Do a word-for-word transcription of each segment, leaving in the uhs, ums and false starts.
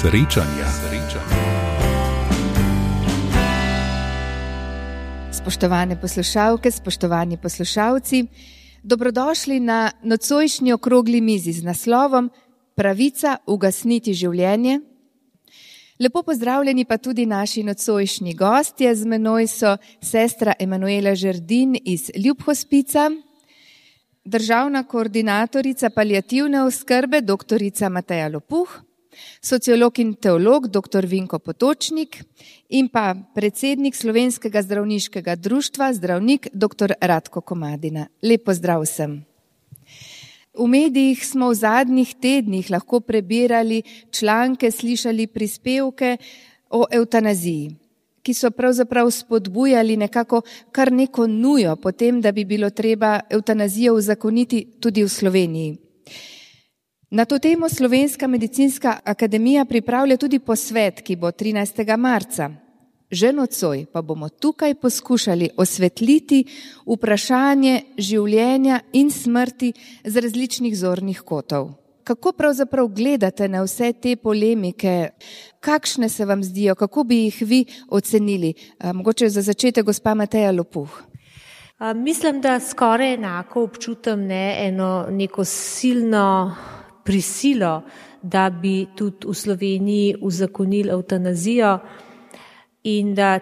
Srečanja. Spoštovane poslušalke, spoštovani poslušalci, dobrodošli na nocojšnji okrogli mizi z naslovom Pravica ugasniti življenje. Lepo pozdravljeni pa tudi naši nocojšnji gostje. Z menoj so sestra Emanuela Žerdin iz Ljubhospica, državna koordinatorica paliativne oskrbe doktorica Mateja Lopuh, sociolog in teolog doktor Vinko Potočnik in pa predsednik Slovenskega zdravniškega društva zdravnik doktor Ratko Komadina. Lep pozdrav vsem. V medijih smo v zadnjih tednih lahko prebirali članke, slišali prispevke o evtanaziji, ki so pravzaprav spodbujali nekako kar neko nujo po tem, da bi bilo treba evtanazijo uzakoniti tudi v Sloveniji. Na to temo Slovenska medicinska akademija pripravlja tudi posvet, ki bo trinajstega marca. Že nocoj pa bomo tukaj poskušali osvetliti vprašanje življenja in smrti z različnih zornih kotov. Kako pravzaprav gledate na vse te polemike? Kakšne se vam zdijo? Kako bi jih vi ocenili? Mogoče za začetek gospa Mateja Lopuh. Mislim, da skoraj enako občutam ne, eno neko silno prisilo, da bi tudi v Sloveniji uzakonili evtanazijo in da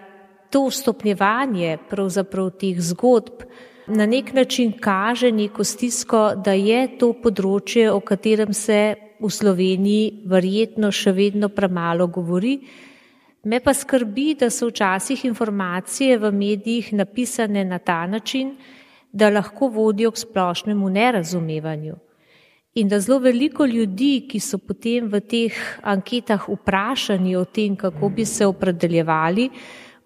to stopnjevanje pravzaprav teh zgodb na nek način kaže neko stisko, da je to področje, o katerem se v Sloveniji verjetno še vedno premalo govori. Me pa skrbi, da so včasih informacije v medijih napisane na ta način, da lahko vodijo k splošnemu nerazumevanju. In da zelo veliko ljudi, ki so potem v teh anketah vprašani o tem, kako bi se opredeljevali,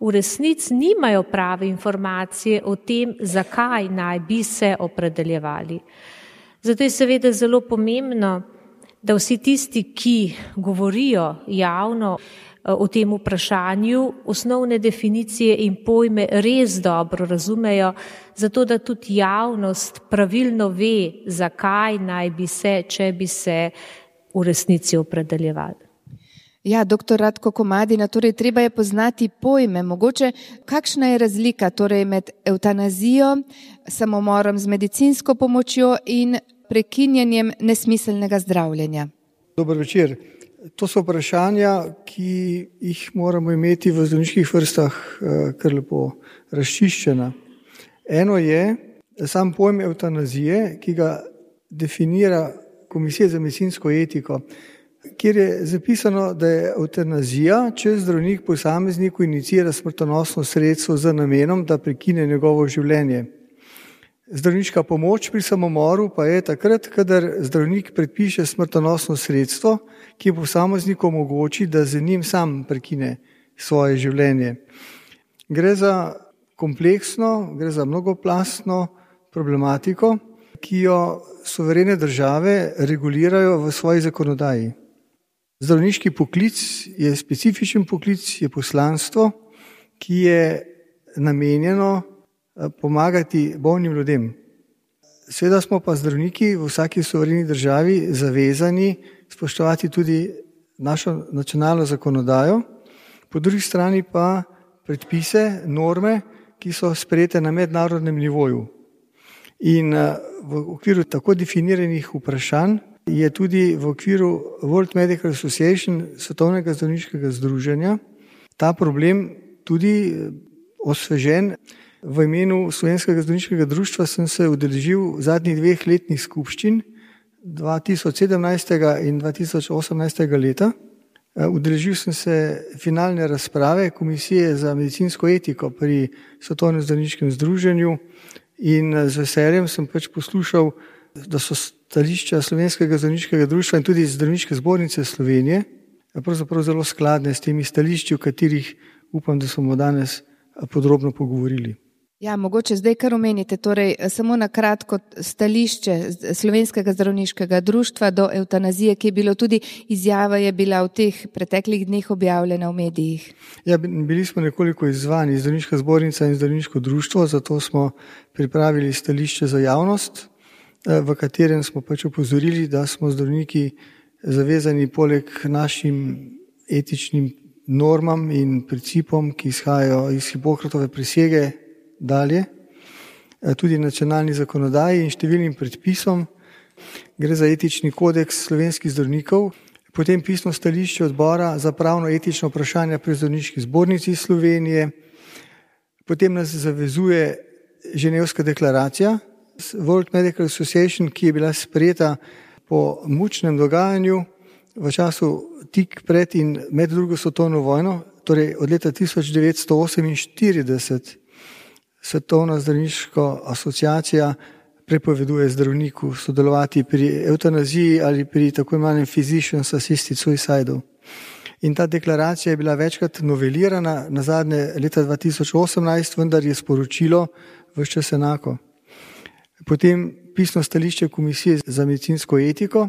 v resnici nimajo prave informacije o tem, zakaj naj bi se opredeljevali. Zato je seveda zelo pomembno, da vsi tisti, ki govorijo javno o tem vprašanju, osnovne definicije in pojme res dobro razumejo, zato da tudi javnost pravilno ve, zakaj naj bi se, če bi se v resnici opredeljevali. Ja, doktor Ratko Komadina, torej treba je poznati pojme. Mogoče, kakšna je razlika torej med evtanazijo, samomorom z medicinsko pomočjo in prekinjanjem nesmiselnega zdravljenja? Dober večer. To so vprašanja, ki jih moramo imeti v zdravniških vrstah kar lepo razčiščena. Eno je sam pojem evtanazije, ki ga definira Komisija za medicinsko etiko, kjer je zapisano, da je evtanazija, če zdravnik posamezniku inicira smrtonosno sredstvo z namenom, da prekine njegovo življenje. Zdravniška pomoč pri samomoru pa je takrat, kadar zdravnik predpiše smrtonosno sredstvo, ki posamezniku omogoči, da z njim sam prekine svoje življenje. Gre za kompleksno, gre za mnogoplastno problematiko, ki jo suverene države regulirajo v svoji zakonodaji. Zdravniški poklic je specifičen poklic, je poslanstvo, ki je namenjeno pomagati bolnim ljudem. Seveda smo pa zdravniki v vsaki suvereni državi zavezani spoštovati tudi našo nacionalno zakonodajo, po drugi strani pa predpise, norme, ki so sprejete na mednarodnem nivoju. In v okviru tako definiranih vprašanj je tudi v okviru World Medical Association, Svetovnega zdravniškega združenja, ta problem tudi osvežen. V imenu Slovenskega zdravniškega društva sem se udeležil zadnjih dveh letnih skupščin dva tisoč sedemnajstega in dva tisoč osemnajstega leta. Udeležil sem se finalne razprave Komisije za medicinsko etiko pri Svetovnem zdravniškem združenju in z veseljem sem pač poslušal, da so stališča Slovenskega zdravniškega društva in tudi Zdravniške zbornice Slovenije pravzaprav zelo skladne s temi stališči, o katerih upam, da smo danes podrobno pogovorili. Ja, mogoče zdaj kar omenite, torej samo na kratko stališče Slovenskega zdravniškega društva do evtanazije, ki je bilo tudi izjava, je bila v teh preteklih dneh objavljena v medijih. Ja, bili smo nekoliko izzvani, Zdravniška zbornica in Zdravniško društvo, zato smo pripravili stališče za javnost, v katerem smo pač opozorili, da smo zdravniki zavezani poleg našim etičnim normam in principom, ki izhajajo iz Hipokratove prisege dalje, tudi nacionalni zakonodaji in številnim predpisom. Gre za etični kodeks slovenskih zdravnikov, potem pisno stališče odbora za pravno etično vprašanje pri zdravniški zbornici Slovenije, potem nas zavezuje Ženevska deklaracija, World Medical Association, ki je bila sprejeta po mučnem dogajanju v času tik pred in med drugo svetovno vojno, torej od leta tisoč devetsto oseminštirideset Svetovna zdravniška asociacija prepoveduje zdravniku sodelovati pri evtanaziji ali pri tako imenovanem physicians assisted suicide. In ta deklaracija je bila večkrat novelirana, nazadnje leta dva tisoč osemnajst, vendar je sporočilo ves čas enako. Potem pisno stališče Komisije za medicinsko etiko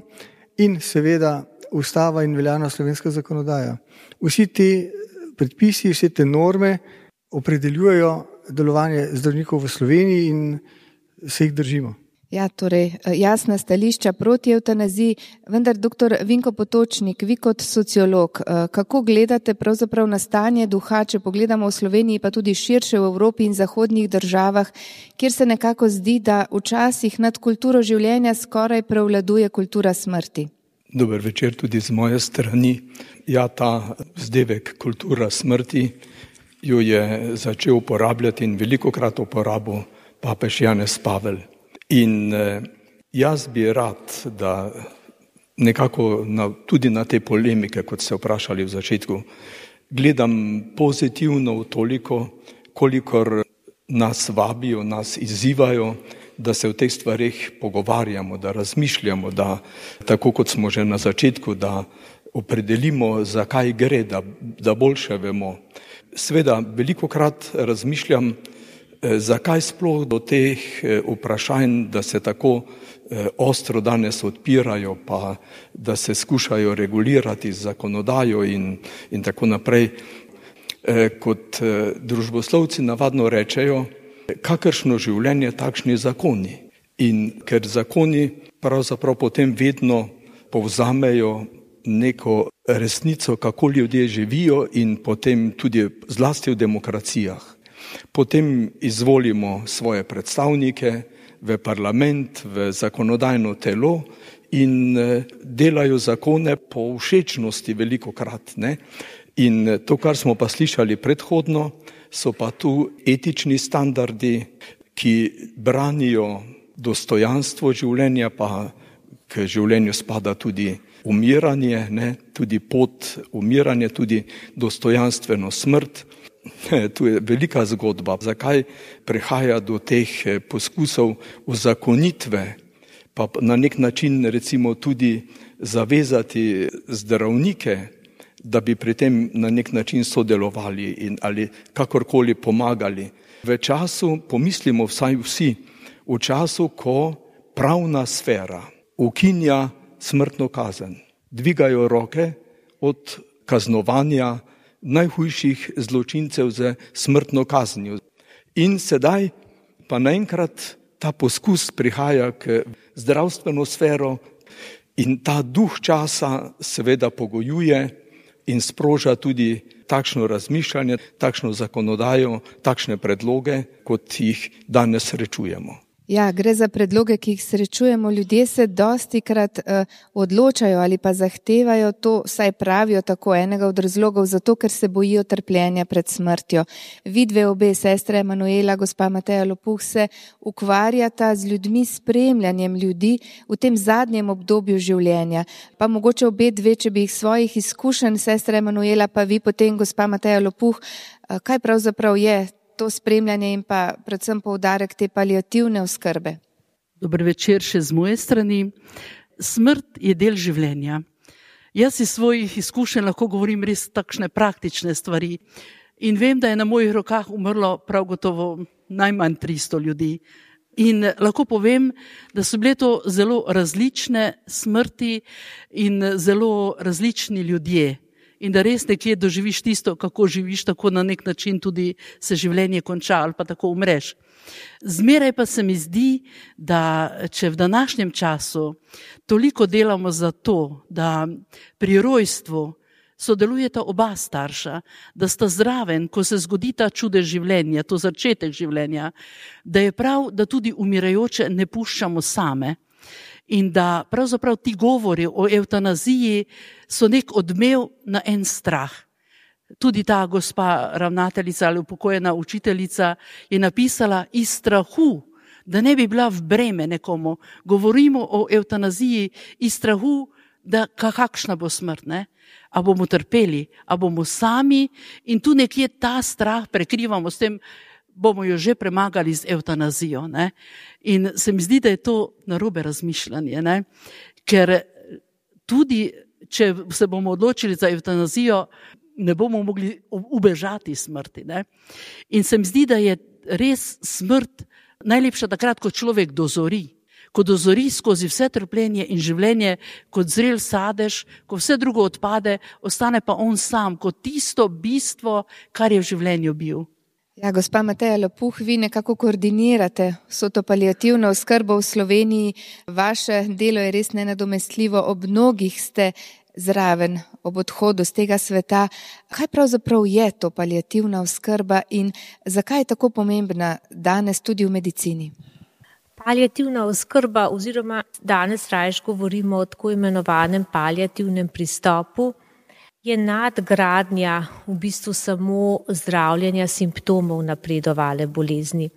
in seveda ustava in veljavna slovenska zakonodaja. Vsi ti predpisi, vse te norme opredeljujejo delovanje zdravnikov v Sloveniji in se jih držimo. Ja, torej jasna stališča proti evtanaziji, vendar doktor Vinko Potočnik, vi kot sociolog, kako gledate pravzaprav na stanje duha, če pogledamo v Sloveniji, pa tudi širše v Evropi in zahodnih državah, kjer se nekako zdi, da včasih nad kulturo življenja skoraj prevladuje kultura smrti? Dober večer tudi z moje strani. Ja, ta vzdevek kultura smrti jo je začel uporabljati in velikokrat uporabil papež Janez Pavel. In jaz bi rad, da nekako na, tudi na te polemike, kot ste vprašali v začetku, gledam pozitivno v toliko, kolikor nas vabijo, nas izzivajo, da se o teh stvarih pogovarjamo, da razmišljamo, da tako kot smo že na začetku, da opredelimo, zakaj gre, da, da boljše vemo. Sveda, velikokrat razmišljam, zakaj sploh do teh vprašanj, da se tako ostro danes odpirajo, pa da se skušajo regulirati z zakonodajo in, in tako naprej. Kot družboslovci navadno rečejo, kakršno življenje, takšni zakoni. In ker zakoni pravzaprav potem vedno povzamejo neko resnico, kako ljudje živijo in potem tudi zlasti v demokracijah. Potem izvolimo svoje predstavnike v parlament, v zakonodajno telo in delajo zakone po všečnosti velikokrat, ne? In to, kar smo pa slišali predhodno, so pa tu etični standardi, ki branijo dostojanstvo življenja, pa k življenju spada tudi umiranje, ne? Tudi pot umiranja, tudi dostojanstveno smrt. Tu je velika zgodba, zakaj prihaja do teh poskusov uzakonitve, pa na nek način recimo tudi zavezati zdravnike, da bi pri tem na nek način sodelovali in ali kakorkoli pomagali. V času, pomislimo vsaj vsi, v času, ko pravna sfera ukinja smrtno kazen, dvigajo roke od kaznovanja najhujših zločincev z smrtno kaznijo. In sedaj pa naenkrat ta poskus prihaja k zdravstveno sfero in ta duh časa seveda pogojuje in sproža tudi takšno razmišljanje, takšno zakonodajo, takšne predloge, kot jih danes srečujemo. Ja, gre za predloge, ki jih srečujemo. Ljudje se dostikrat uh, odločajo ali pa zahtevajo to, saj pravijo tako enega od razlogov, zato ker se bojijo trpljenja pred smrtjo. Vidve obe, sestra Emanuela, gospa Mateja Lopuh, se ukvarjata z ljudmi, spremljanjem ljudi v tem zadnjem obdobju življenja. Pa mogoče obe dve, če bi jih svojih izkušenj, sestra Emanuela, pa vi potem, gospa Mateja Lopuh, uh, kaj pravzaprav je to spremljanje in pa predvsem poudarek te paliativne oskrbe? Dober večer še z moje strani. Smrt je del življenja. Jaz iz svojih izkušenj lahko govorim res takšne praktične stvari in vem, da je na mojih rokah umrlo prav gotovo najmanj tristo ljudi. In lahko povem, da so bile to zelo različne smrti in zelo različni ljudje. In da res nekje doživiš tisto, kako živiš, tako na nek način tudi se življenje konča ali pa tako umreš. Zmeraj pa se mi zdi, da če v današnjem času toliko delamo za to, da pri rojstvu sodelujeta oba starša, da sta zraven, ko se zgodi ta čudež življenja, to začetek življenja, da je prav, da tudi umirajoče ne puščamo same in da pravzaprav ti govori o evtanaziji so nek odmev na en strah. Tudi ta gospa ravnateljica ali upokojena učiteljica je napisala iz strahu, da ne bi bila v breme nekomu. Govorimo o evtanaziji iz strahu, da kakšna bo smrt, ne? A bomo trpeli, a bomo sami in tu nekje ta strah prekrivamo s tem, bomo jo že premagali z evtanazijo. Ne? In se mi zdi, da je to narobe razmišljanje, ne? Ker tudi, če se bomo odločili za evtanazijo, ne bomo mogli ubežati smrti. Ne? In se mi zdi, da je res smrt najlepša takrat, ko človek dozori. Ko dozori skozi vse trpljenje in življenje, kot zrel sadež, ko vse drugo odpade, ostane pa on sam, kot tisto bistvo, kar je v življenju bil. Ja, gospa Mateja Lopuh, vi nekako koordinirate vso to paliativno oskrbo v Sloveniji. Vaše delo je res nenadomestljivo, ob mnogih ste zraven ob odhodu z tega sveta. Kaj pravzaprav je to paliativna oskrba in zakaj je tako pomembna danes tudi v medicini? Paliativna oskrba oziroma danes rajš govorimo o tako imenovanem paliativnem pristopu, je nadgradnja v bistvu samo zdravljenja simptomov napredovale bolezni.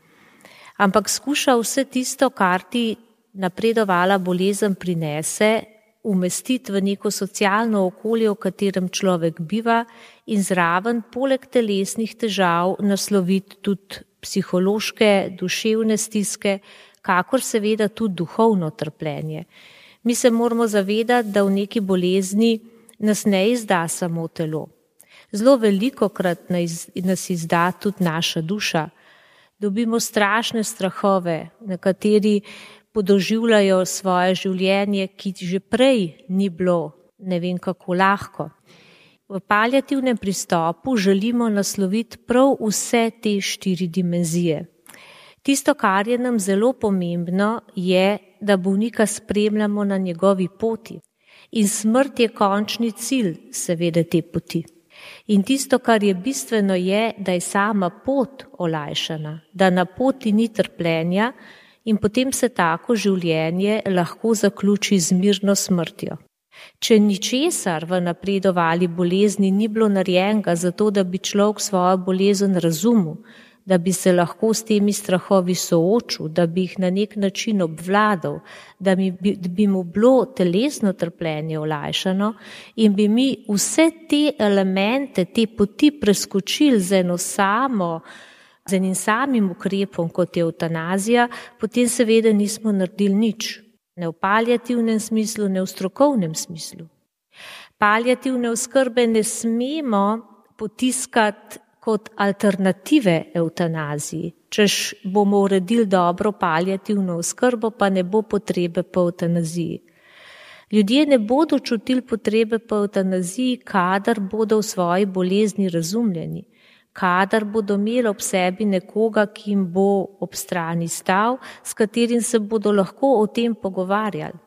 Ampak skuša vse tisto, kar ti napredovala bolezen prinese, umestiti v neko socialno okolje, v katerem človek biva in zraven poleg telesnih težav nasloviti tudi psihološke, duševne stiske, kakor seveda tudi duhovno trpljenje. Mi se moramo zavedati, da v neki bolezni nas ne izda samo telo. Zelo velikokrat nas izda tudi naša duša. Dobimo strašne strahove, nekateri podoživljajo svoje življenje, ki že prej ni bilo ne vem kako lahko. V paliativnem pristopu želimo nasloviti prav vse te štiri dimenzije. Tisto, kar je nam zelo pomembno, je, da bolnika spremljamo na njegovi poti. In smrt je končni cilj, seveda, te poti. In tisto, kar je bistveno, je, da je sama pot olajšana, da na poti ni trpljenja in potem se tako življenje lahko zaključi z mirno smrtjo. Če ničesar v napredovali bolezni ni bilo narejenega zato, da bi človek svojo bolezen razumel, da bi se lahko s temi strahovi soočil, da bi jih na nek način obvladal, da bi, bi mu bilo telesno trpljenje olajšano in bi mi vse te elemente, te poti preskočili z eno samo, z enim samim ukrepom, kot je evtanazija, potem seveda nismo naredili nič. Ne v paliativnem smislu, ne v strokovnem smislu. Paliativne oskrbe ne smemo potiskati kot alternative evtanaziji. Češ bomo uredili dobro paliativno oskrbo, pa ne bo potrebe po evtanaziji. Ljudje ne bodo čutili potrebe po evtanaziji, kadar bodo v svoji bolezni razumljeni, kadar bodo imeli ob sebi nekoga, ki jim bo ob strani stal, s katerim se bodo lahko o tem pogovarjali.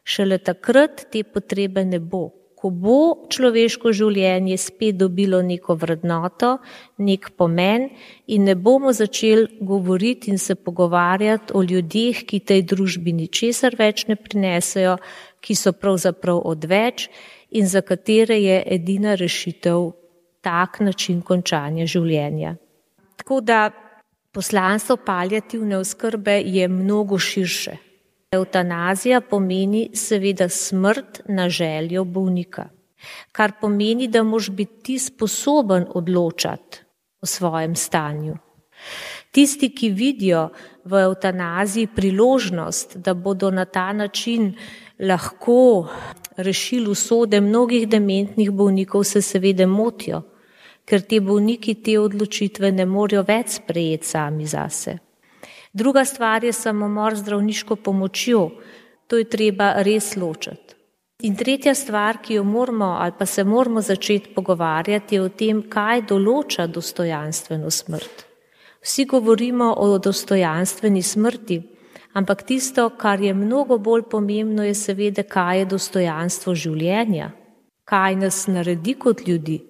Šele takrat te potrebe ne bo. Ko bo človeško življenje spet dobilo neko vrednoto, nek pomen in ne bomo začeli govoriti in se pogovarjati o ljudeh, ki tej družbi ničesar več ne prinesejo, ki so pravzaprav odveč in za katere je edina rešitev tak način končanja življenja. Tako da poslanstvo paliativne oskrbe je mnogo širše. Evtanazija pomeni seveda smrt na željo bolnika, kar pomeni, da moraš biti ti sposoben odločati o svojem stanju. Tisti, ki vidijo v evtanaziji priložnost, da bodo na ta način lahko rešili usode mnogih dementnih bolnikov, se seveda motijo, ker ti bolniki te odločitve ne morejo več sprejeti sami zase. Druga stvar je samomor z zdravniško pomočjo. To je treba res ločiti. In tretja stvar, ki jo moramo ali pa se moramo začeti pogovarjati, je o tem, kaj določa dostojanstveno smrt. Vsi govorimo o dostojanstveni smrti, ampak tisto, kar je mnogo bolj pomembno, je seveda, kaj je dostojanstvo življenja. kaj nas naredi kot ljudi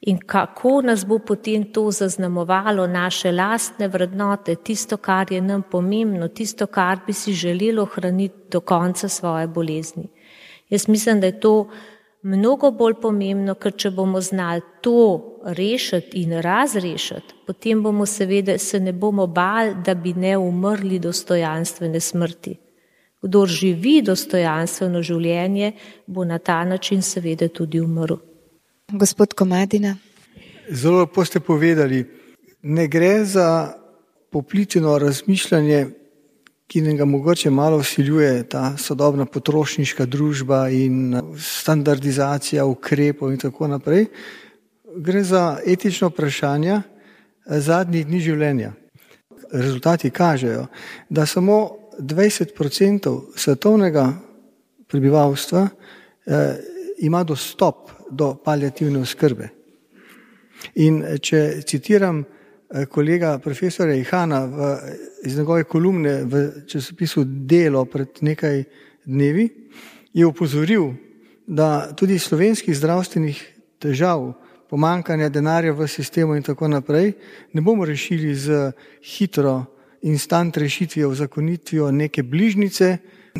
in kako nas bo potem to zaznamovalo naše lastne vrednote, tisto, kar je nam pomembno, tisto, kar bi si želeli ohraniti do konca svoje bolezni. Jaz mislim, da je to mnogo bolj pomembno, ker če bomo znali to rešiti in razrešiti, potem bomo seveda se ne bomo bali, da bi ne umrli dostojanstvene smrti. Kdor živi dostojanstveno življenje, bo na ta način seveda tudi umrl. Gospod Komadina. Zelo lepo ste povedali, ne gre za popleteno razmišljanje, ki nam ga mogoče malo vsiljuje ta sodobna potrošniška družba in standardizacija ukrepov in tako naprej. Gre za etično vprašanje zadnjih dni življenja. Rezultati kažejo, da samo dvajset procentov svetovnega prebivalstva eh, ima dostop do paliativne oskrbe. In če citiram kolega profesora Ihana v, iz njegove kolumne v časopisu Delo pred nekaj dnevi, je opozoril, da tudi slovenskih zdravstvenih težav, pomankanja denarja v sistemu in tako naprej, ne bomo rešili z hitro instant rešitvijo, uzakonitvijo neke bližnjice,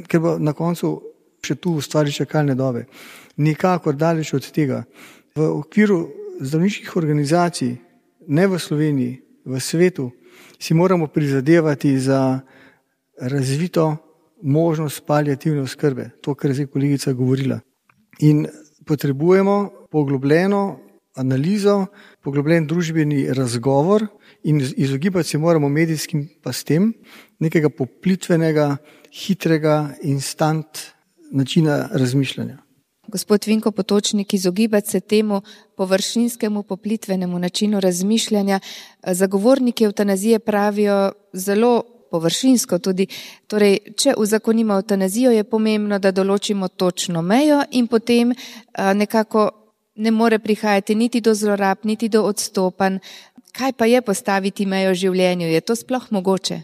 ker bo na koncu še tu ustvari čakalne dobe. Nikakor daleč od tega. V okviru zdravniških organizacij, ne v Sloveniji, v svetu, si moramo prizadevati za razvito možnost paliativne oskrbe, to, kar je zdaj kolegica govorila. In potrebujemo poglobljeno analizo, poglobljen družbeni razgovor in izogibati se moramo medijskim pastem nekega poplitvenega, hitrega, instant načina razmišljanja. Gospod Vinko Potočnik, izogibati se temu površinskemu, poplitvenemu načinu razmišljanja. Zagovorniki evtanazije pravijo zelo površinsko tudi. Torej, če uzakonimo evtanazijo, je pomembno, da določimo točno mejo in potem nekako ne more prihajati niti do zlorab, niti do odstopanj. Kaj pa je postaviti mejo življenju? Je to sploh mogoče?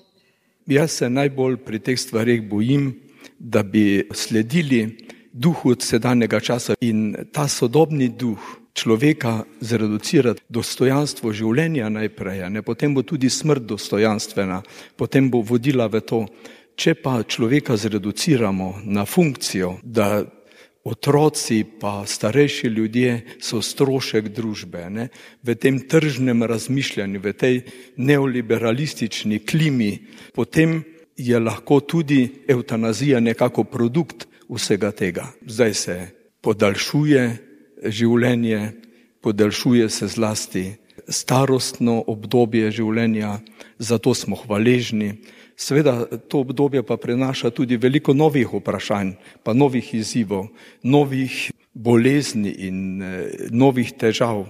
Jaz se najbolj pri teh stvarih bojim, da bi sledili duhu sedanjega časa in ta sodobni duh človeka zreducirati dostojanstvo življenja najprej, ne? Potem bo tudi smrt dostojanstvena, potem bo vodila v to. Če pa človeka zreduciramo na funkcijo, da otroci pa starejši ljudje so strošek družbe, ne? V tem tržnem razmišljanju, v tej neoliberalistični klimi, potem je lahko tudi evtanazija nekako produkt vsega tega. Zdaj se podaljšuje življenje, podaljšuje se zlasti starostno obdobje življenja, zato smo hvaležni. Seveda to obdobje pa prinaša tudi veliko novih vprašanj, pa novih izzivov, novih bolezni in eh, novih težav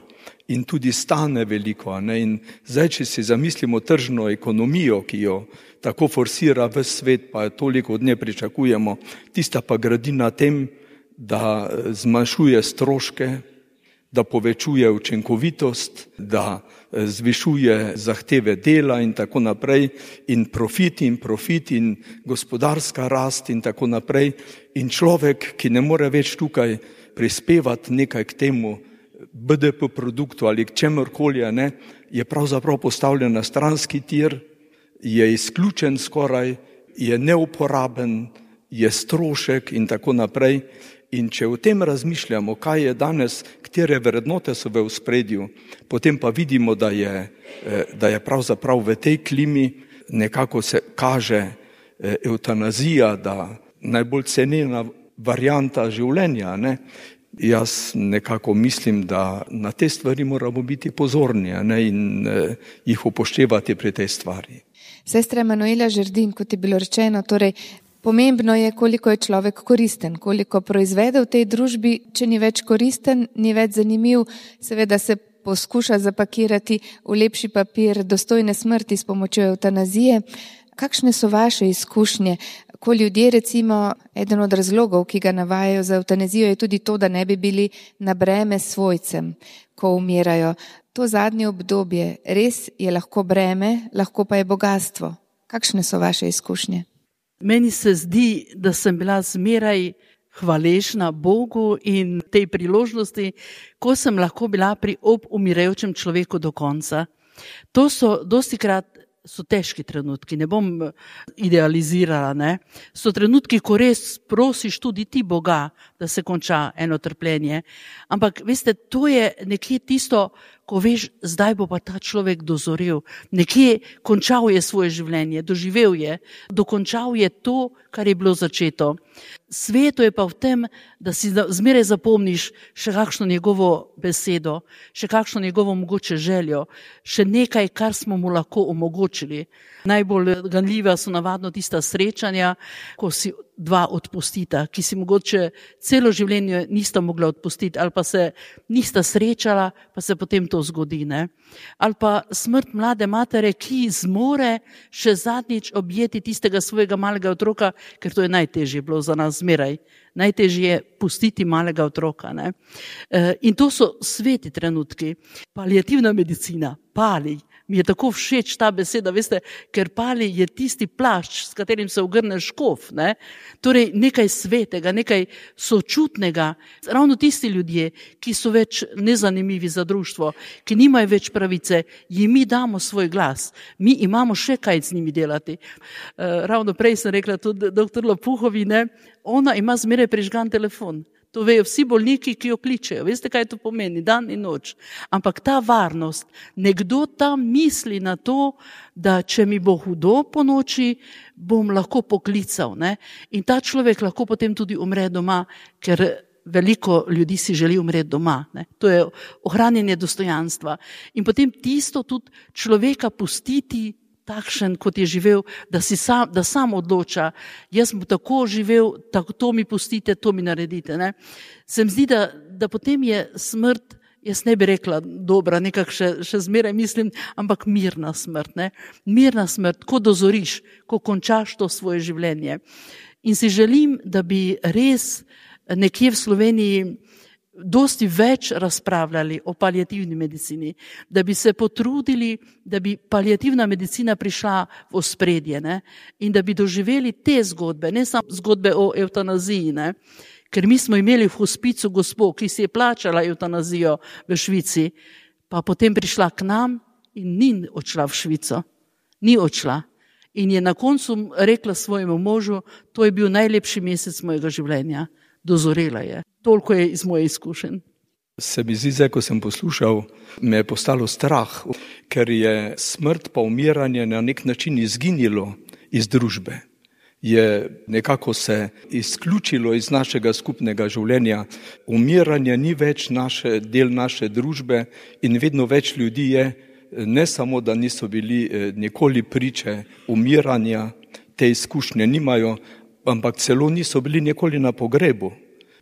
in tudi stane veliko. Ne? In zdaj, če si zamislimo tržno ekonomijo, ki jo tako forsira v svet, pa toliko od nje pričakujemo, tista pa gradi na tem, da zmanjšuje stroške, da povečuje učinkovitost, da zvišuje zahteve dela in tako naprej, in profit in profit in gospodarska rast in tako naprej. In človek, ki ne more več tukaj prispevati nekaj k temu B D P produktu ali k čemorkoli, ne, je pravzaprav postavljen na stranski tir, je izključen skoraj, je neuporaben, je strošek in tako naprej. In če o tem razmišljamo, kaj je danes, katere vrednote so v ospredju, potem pa vidimo, da je, da je pravzaprav v tej klimi nekako se kaže evtanazija, da najbolj cenena varianta življenja, ne. Jaz nekako mislim, da na te stvari moramo biti pozorni, ne, in jih upoštevati pri tej stvari. Sestra Emanuela Žerdin, kot je bilo rečeno, torej pomembno je, koliko je človek koristen, koliko proizvede v tej družbi. Če ni več koristen, ni več zanimiv, seveda se poskuša zapakirati v lepši papir dostojne smrti s pomočjo evtanazije. Kakšne so vaše izkušnje? Ko ljudje, recimo, eden od razlogov, ki ga navajajo za evtanazijo, je tudi to, da ne bi bili na breme svojcem, ko umirajo. To zadnje obdobje res je lahko breme, lahko pa je bogatstvo. Kakšne so vaše izkušnje? Meni se zdi, da sem bila zmeraj hvaležna Bogu in tej priložnosti, ko sem lahko bila pri ob umirajočem človeku do konca. To so dostikrat so težki trenutki, ne bom idealizirala, ne. So trenutki, ko res prosiš tudi ti Boga, da se konča eno trpljenje. Ampak, veste, to je nekje tisto, ko veš, zdaj bo pa ta človek dozorel. Nekje končal je svoje življenje, doživel je, dokončal je to, kar je bilo začeto. Sveto je pa v tem, da si zmeraj zapomniš še kakšno njegovo besedo, še kakšno njegovo mogoče željo, še nekaj, kar smo mu lahko omogočili. Najbolj ganljiva so navadno tista srečanja, ko si dva odpustita, ki si mogoče celo življenje nista mogla odpustiti, ali pa se nista srečala, pa se potem to zgodi, ne. Ali pa smrt mlade matere, ki zmore še zadnjič objeti tistega svojega malega otroka, ker to je najtežje bilo za nas zmeraj. Najtežje je pustiti malega otroka, ne. In to so sveti trenutki. Paliativna medicina, pali. Mi je tako všeč ta beseda, veste, ker pali je tisti plašč, s katerim se ogrne škof, ne. Torej nekaj svetega, nekaj sočutnega. Ravno tisti ljudje, ki so več nezanimivi za društvo, ki nimajo več pravice, jim mi damo svoj glas. Mi imamo še kaj z njimi delati. Ravno prej sem rekla tudi doktor Lopuhovi, ne, ona ima zmeraj prižgan telefon. To vejo vsi bolniki, ki jo kličejo. Veste, kaj to pomeni? Dan in noč. Ampak ta varnost, nekdo tam misli na to, da če mi bo hudo po noči, bom lahko poklical, ne? In ta človek lahko potem tudi umre doma, ker veliko ljudi si želi umreti doma, ne? To je ohranjanje dostojanstva. In potem tisto tudi človeka pustiti takšen, kot je živel, da, si sam, da sam odloča, jaz bom tako živel, tako, to mi pustite, to mi naredite. Ne? Se mi zdi, da, da potem je smrt, jaz ne bi rekla dobra, nekako še, še zmeraj mislim, ampak mirna smrt. Ne? Mirna smrt, ko dozoriš, ko končaš to svoje življenje. In si želim, da bi res nekje v Sloveniji dosti več razpravljali o paliativni medicini, da bi se potrudili, da bi paliativna medicina prišla v ospredje, ne? In da bi doživeli te zgodbe, ne samo zgodbe o evtanaziji, ne? Ker mi smo imeli v hospicu gospo, ki si je plačala evtanazijo v Švici, pa potem prišla k nam in ni odšla v Švico, ni odšla. In je na koncu rekla svojemu možu, to je bil najlepši mesec mojega življenja. Dozorela je. Toliko je iz moje izkušenj. Se mi zdi, zdaj, ko sem poslušal, me je postalo strah, ker je smrt pa umiranje na nek način izginilo iz družbe. Je nekako se izključilo iz našega skupnega življenja. Umiranje ni več naše, del naše družbe in vedno več ljudi je, ne samo, da niso bili nikoli priče umiranja, te izkušnje nimajo, ampak celo niso bili nikoli na pogrebu.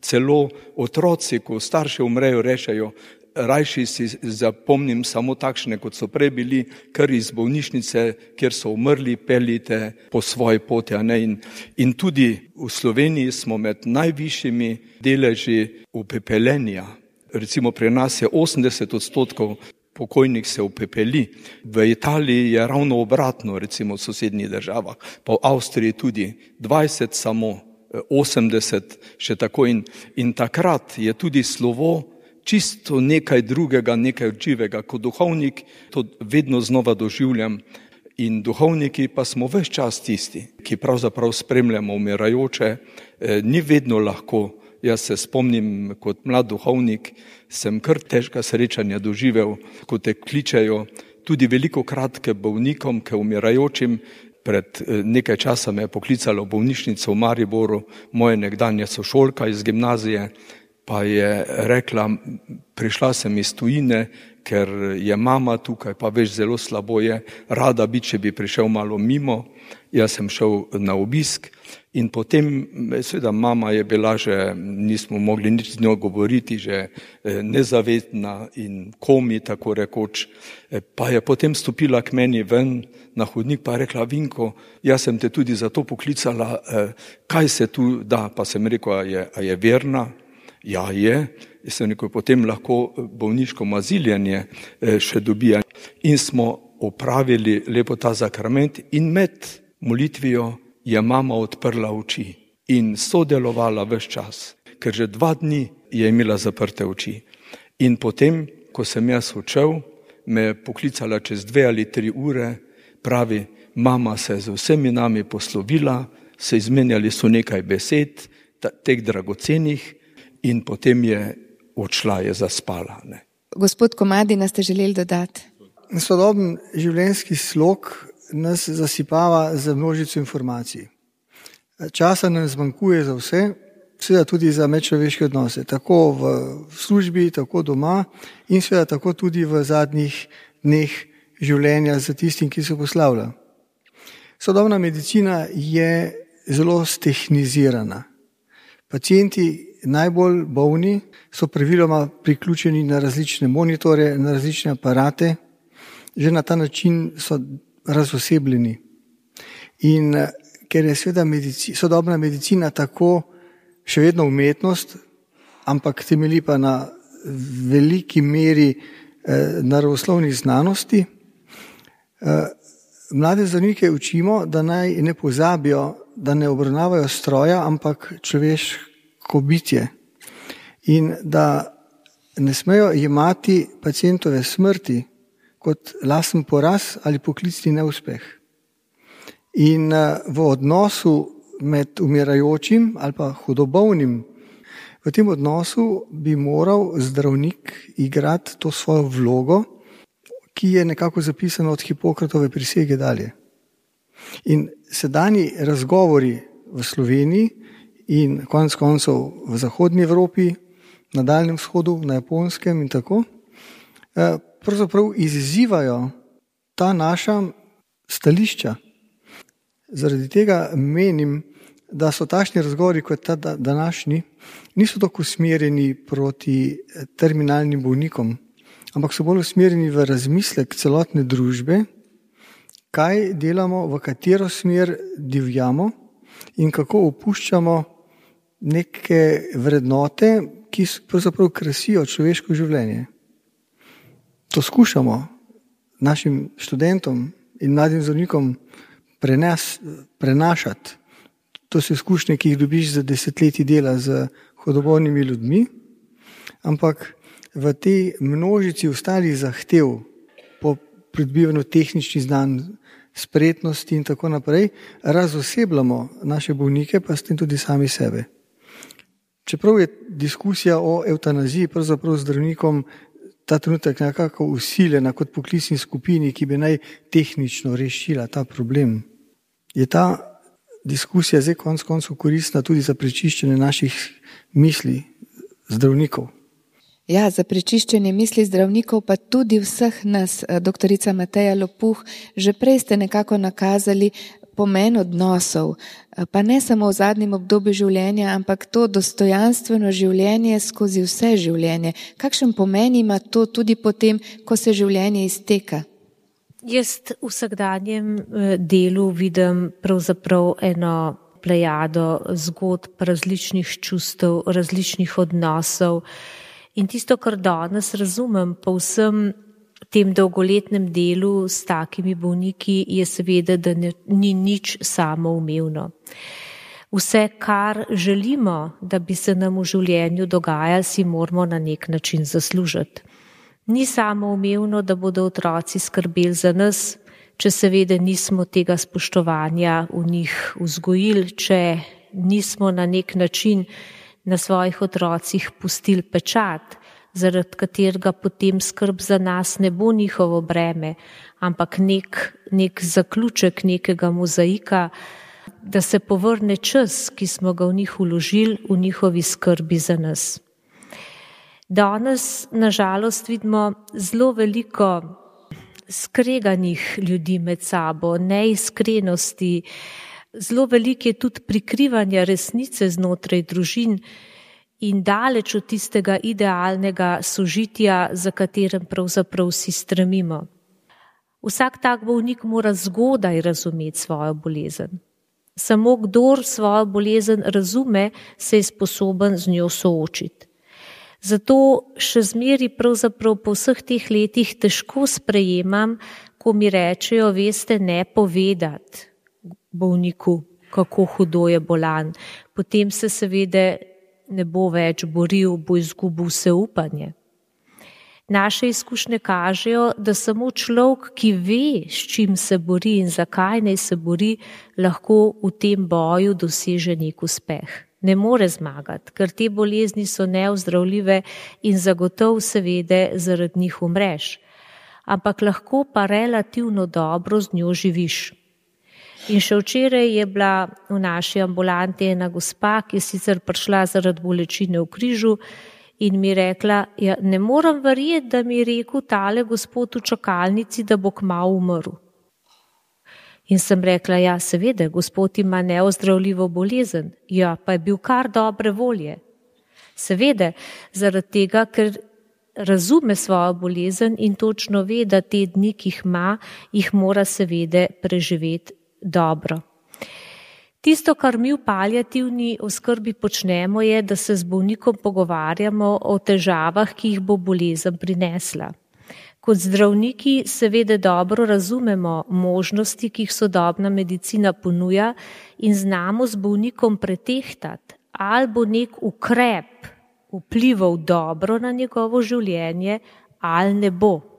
Celo otroci, ko starši umrejo, rečejo, rajši si zapomnim samo takšne, kot so prej bili, kar iz bolnišnice, kjer so umrli, peljite po svoji poti. In, in tudi v Sloveniji smo med najvišjimi deleži upepeljenja. Recimo pri nas je osemdeset odstotkov pokojnik se upepeli. V Italiji je ravno obratno, recimo v sosednjih državah, pa v Avstriji tudi dvajset samo, osemdeset še tako. In, in takrat je tudi slovo čisto nekaj drugega, nekaj živega. Kot duhovnik to vedno znova doživljam. In duhovniki pa smo ves čas tisti, ki pravzaprav spremljamo umirajoče. E, ni vedno lahko. Jaz se spomnim, kot mlad duhovnik, sem kar težka srečanja doživel, ko te kličejo tudi veliko kratke bolnikom, ke umirajočim. Pred nekaj časa me je poklicalo v bolnišnico v Mariboru, moja nekdanja sošolka iz gimnazije, pa je rekla, prišla sem iz tujine, ker je mama tukaj, pa veš, zelo slabo je, rada bi, če bi prišel malo mimo. Jaz sem šel na obisk in potem, seveda, mama je bila že, nismo mogli nič z njo govoriti, že nezavedna in komi, tako rekoč. Pa je potem stopila k meni ven na hodnik, pa je rekla, Vinko, jaz sem te tudi zato poklicala, kaj se tu da, pa sem rekel, a je, a je verna? Ja, je. Jaz sem rekel, potem lahko bolniško maziljenje še dobija. In smo opravili lepo ta zakrament in med molitvijo je mama odprla oči. in sodelovala ves čas, ker že dva dni je imela zaprte oči. In potem, ko sem jaz odšel, me je poklicala čez dve ali tri ure, pravi, mama se je z vsemi nami poslovila, se izmenjali so nekaj besed, teh dragocenih, in potem je odšla, je zaspala. Ne. Gospod Komadina, ste želeli dodati? Sodoben življenjski slog nas zasipava za množico informacij. Časa nam zmanjkuje za vse, seveda tudi za medčloveške odnose, tako v službi, tako doma in seveda tako tudi v zadnjih dneh življenja za tistim, ki se poslavlja. Sodobna medicina je zelo stehnizirana. Pacienti najbolj bolni so praviloma priključeni na različne monitore, na različne aparate, že na ta način so razosebljeni. In ker je seveda medici, sodobna medicina tako še vedno umetnost, ampak temelji pa na veliki meri eh, naravoslovnih znanosti, eh, mlade zdravnike učimo, da naj ne pozabijo, da ne obravnavajo stroja, ampak človeško bitje. In da ne smejo jemati pacientove smrti kot lasten poraz ali poklicni neuspeh. In v odnosu med umirajočim ali pa hudobolnim, v tem odnosu bi moral zdravnik igrati to svojo vlogo, ki je nekako zapisana od Hipokratove prisege dalje. In sedanji razgovori v Sloveniji in konec koncev v zahodnji Evropi, na Daljnem vzhodu, na Japonskem in tako, pravzaprav izzivajo ta naša stališča. Zaradi tega menim, da so takšni razgovori kot ta današnji, niso tako usmerjeni proti terminalnim bolnikom, ampak so bolj usmerjeni v razmislek celotne družbe, kaj delamo, v katero smer divjamo in kako opuščamo neke vrednote, ki pravzaprav krasijo človeško življenje. To skušamo našim študentom in mladim zdravnikom prenes, prenašati. To so izkušnje, ki jih dobiš za desetletji dela z hudobolnimi ljudmi, ampak v tej množici ostalih zahtev po pridobivanju tehničnih znanj, spretnosti in tako naprej, razosebljamo naše bolnike, pa s tem tudi sami sebe. Čeprav je diskusija o evtanaziji pravzaprav zdravnikom ta trenutek nekako usiljena kot poklicni skupini, ki bi naj tehnično rešila ta problem, je ta diskusija zdaj konec koncev koristna tudi za prečiščenje naših misli zdravnikov. Ja, za prečiščenje misli zdravnikov, pa tudi vseh nas, doktorica Mateja Lopuh, že prej ste nekako nakazali pomen odnosov, pa ne samo v zadnjem obdobju življenja, ampak to dostojanstveno življenje skozi vse življenje. Kakšen pomen ima to tudi potem, ko se življenje izteka? Jaz v vsakdanjem delu vidim pravzaprav eno plejado zgodb, različnih čustev, različnih odnosov. In tisto, kar danes razumem po vsem tem dolgoletnem delu s takimi bolniki, je seveda, da ne, ni nič samoumevno. Vse, kar želimo, da bi se nam v življenju dogajalo, si moramo na nek način zaslužiti. Ni samoumevno, da bodo otroci skrbeli za nas, če seveda nismo tega spoštovanja v njih vzgojili, če nismo na nek način na svojih otrocih pustili pečat, zaradi katerega potem skrb za nas ne bo njihovo breme, ampak nek, nek zaključek nekega mozaika, da se povrne čas, ki smo ga v njih vložili, v njihovi skrbi za nas. Danes, nažalost, vidimo zelo veliko skreganih ljudi med sabo, neiskrenosti, zelo veliko je tudi prikrivanja resnice znotraj družin in daleč od tistega idealnega sožitja, za katerem pravzaprav vsi stremimo. Vsak tak bolnik mora zgodaj razumeti svojo bolezen. Samo kdor svojo bolezen razume, se je sposoben z njo soočiti. Zato še zmeri pravzaprav po vseh teh letih težko sprejemam, ko mi rečejo, veste, ne povedati bolniku, kako hudo je bolan. potem se seveda ne bo več boril, bo izgubil vse upanje. Naše izkušnje kažejo, da samo človek, ki ve, s čim se bori in zakaj naj se bori, lahko v tem boju doseže nek uspeh. Ne more zmagati, ker te bolezni so neozdravljive in zagotov seveda zaradi njih umreš. Ampak lahko pa relativno dobro z njo živiš. In še včeraj je bila v naši ambulanti ena gospa, ki je sicer prišla zaradi bolečine v križu in mi rekla, ja, ne moram verjeti, da mi je rekel tale gospod v čakalnici, da bo kmalu umrl. In sem rekla, ja, seveda, gospod ima neozdravljivo bolezen, ja, pa je bil kar dobre volje. Seveda, zaradi tega, ker razume svojo bolezen in točno ve, da te dni, ki jih ima, jih mora seveda preživeti dobro. Tisto, kar mi v paliativni oskrbi počnemo, je, da se z bolnikom pogovarjamo o težavah, ki jih bo bolezen prinesla. Kot zdravniki seveda dobro razumemo možnosti, ki jih sodobna medicina ponuja in znamo z bolnikom pretehtati, ali bo nek ukrep vplival dobro na njegovo življenje ali ne bo.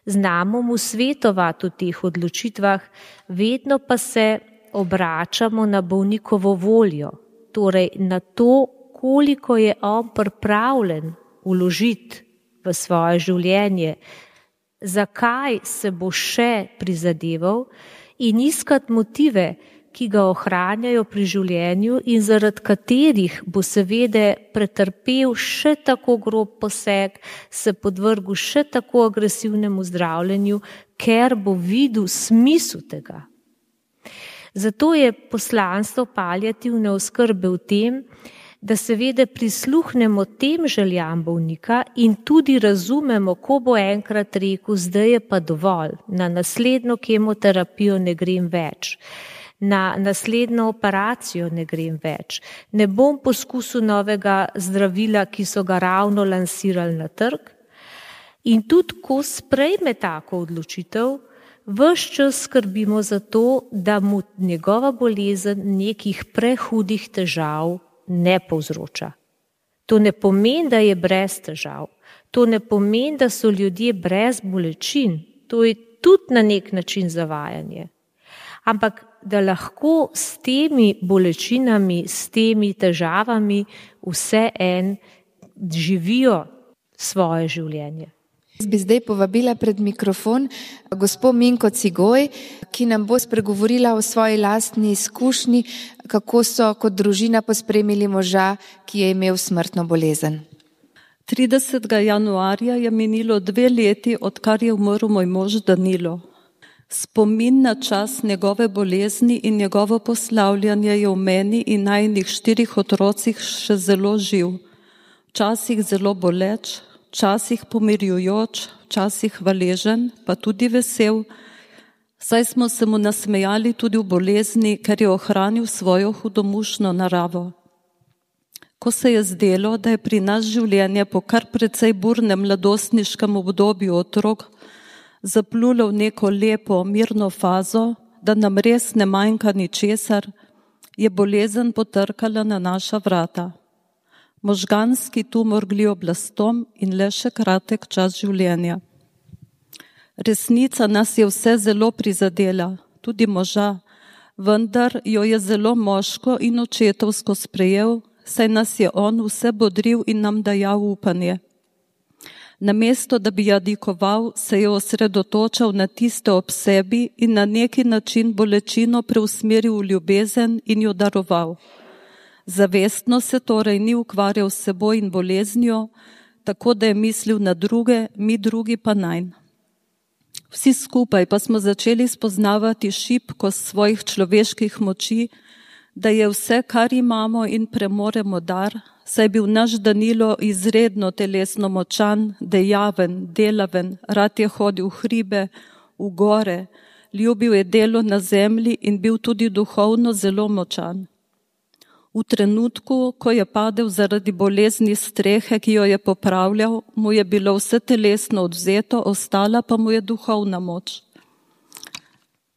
Znamo mu svetovati v teh odločitvah, vedno pa se obračamo na bolnikovo voljo, torej na to, koliko je on pripravljen vložiti v svoje življenje, zakaj se bo še prizadeval in iskati motive, ki ga ohranjajo pri življenju in zaradi katerih bo seveda pretrpel še tako grob poseg, se podvrgel še tako agresivnemu zdravljenju, ker bo videl smisel tega. Zato je poslanstvo paliativne oskrbe v tem, da seveda prisluhnemo tem željam bolnika in tudi razumemo, ko bo enkrat rekel, zdaj je pa dovolj, na naslednjo kemoterapijo ne grem več, na naslednjo operacijo ne grem več, ne bom poskusil novega zdravila, ki so ga ravno lansirali na trg. In tudi, ko sprejme tako odločitev, ves čas skrbimo za to, da mu njegova bolezen nekih prehudih težav ne povzroča. To ne pomeni, da je brez težav. To ne pomeni, da so ljudje brez bolečin. To je tudi na nek način zavajanje. Ampak da lahko s temi bolečinami, s temi težavami vse en živijo svoje življenje. Jaz bi zdaj povabila pred mikrofon gospo Minko Cigoj, ki nam bo spregovorila o svoji lastni izkušnji, kako so kot družina pospremili moža, ki je imel smrtno bolezen. tridesetega januarja je minilo dve leti, odkar je umrl moj mož Danilo. Spomin na čas njegove bolezni in njegovo poslavljanje je v meni in najinih štirih otrocih še zelo živ. Včasih zelo boleč, včasih pomirjujoč, včasih hvaležen, pa tudi vesel, saj smo se mu nasmejali tudi v bolezni, ker je ohranil svojo hudomušno naravo. Ko se je zdelo, da je pri nas življenje po kar precej burnem mladostniškem obdobju otrok zaplulo v neko lepo, mirno fazo, da nam res ne manjka ničesar, je bolezen potrkala na naša vrata. Možganski tumor glioblastom in le še kratek čas življenja. Resnica nas je vse zelo prizadela, tudi moža, vendar jo je zelo moško in očetovsko sprejel, saj nas je on vse bodril in nam dajal upanje. Namesto, da bi jadikoval, se je osredotočal na tiste ob sebi in na neki način bolečino preusmeril v ljubezen in jo daroval. Zavestno se torej ni ukvarjal s seboj in boleznijo, tako da je mislil na druge, mi drugi pa nanj. Vsi skupaj pa smo začeli spoznavati šibkost svojih človeških moči, da je vse, kar imamo in premoremo dar, saj je bil naš Danilo izredno telesno močan, dejaven, delaven, rad je hodil v hribe, v gore, ljubil je delo na zemlji in bil tudi duhovno zelo močan. V trenutku, ko je padel zaradi bolezni strehe, ki jo je popravljal, mu je bilo vse telesno odvzeto, ostala pa mu je duhovna moč.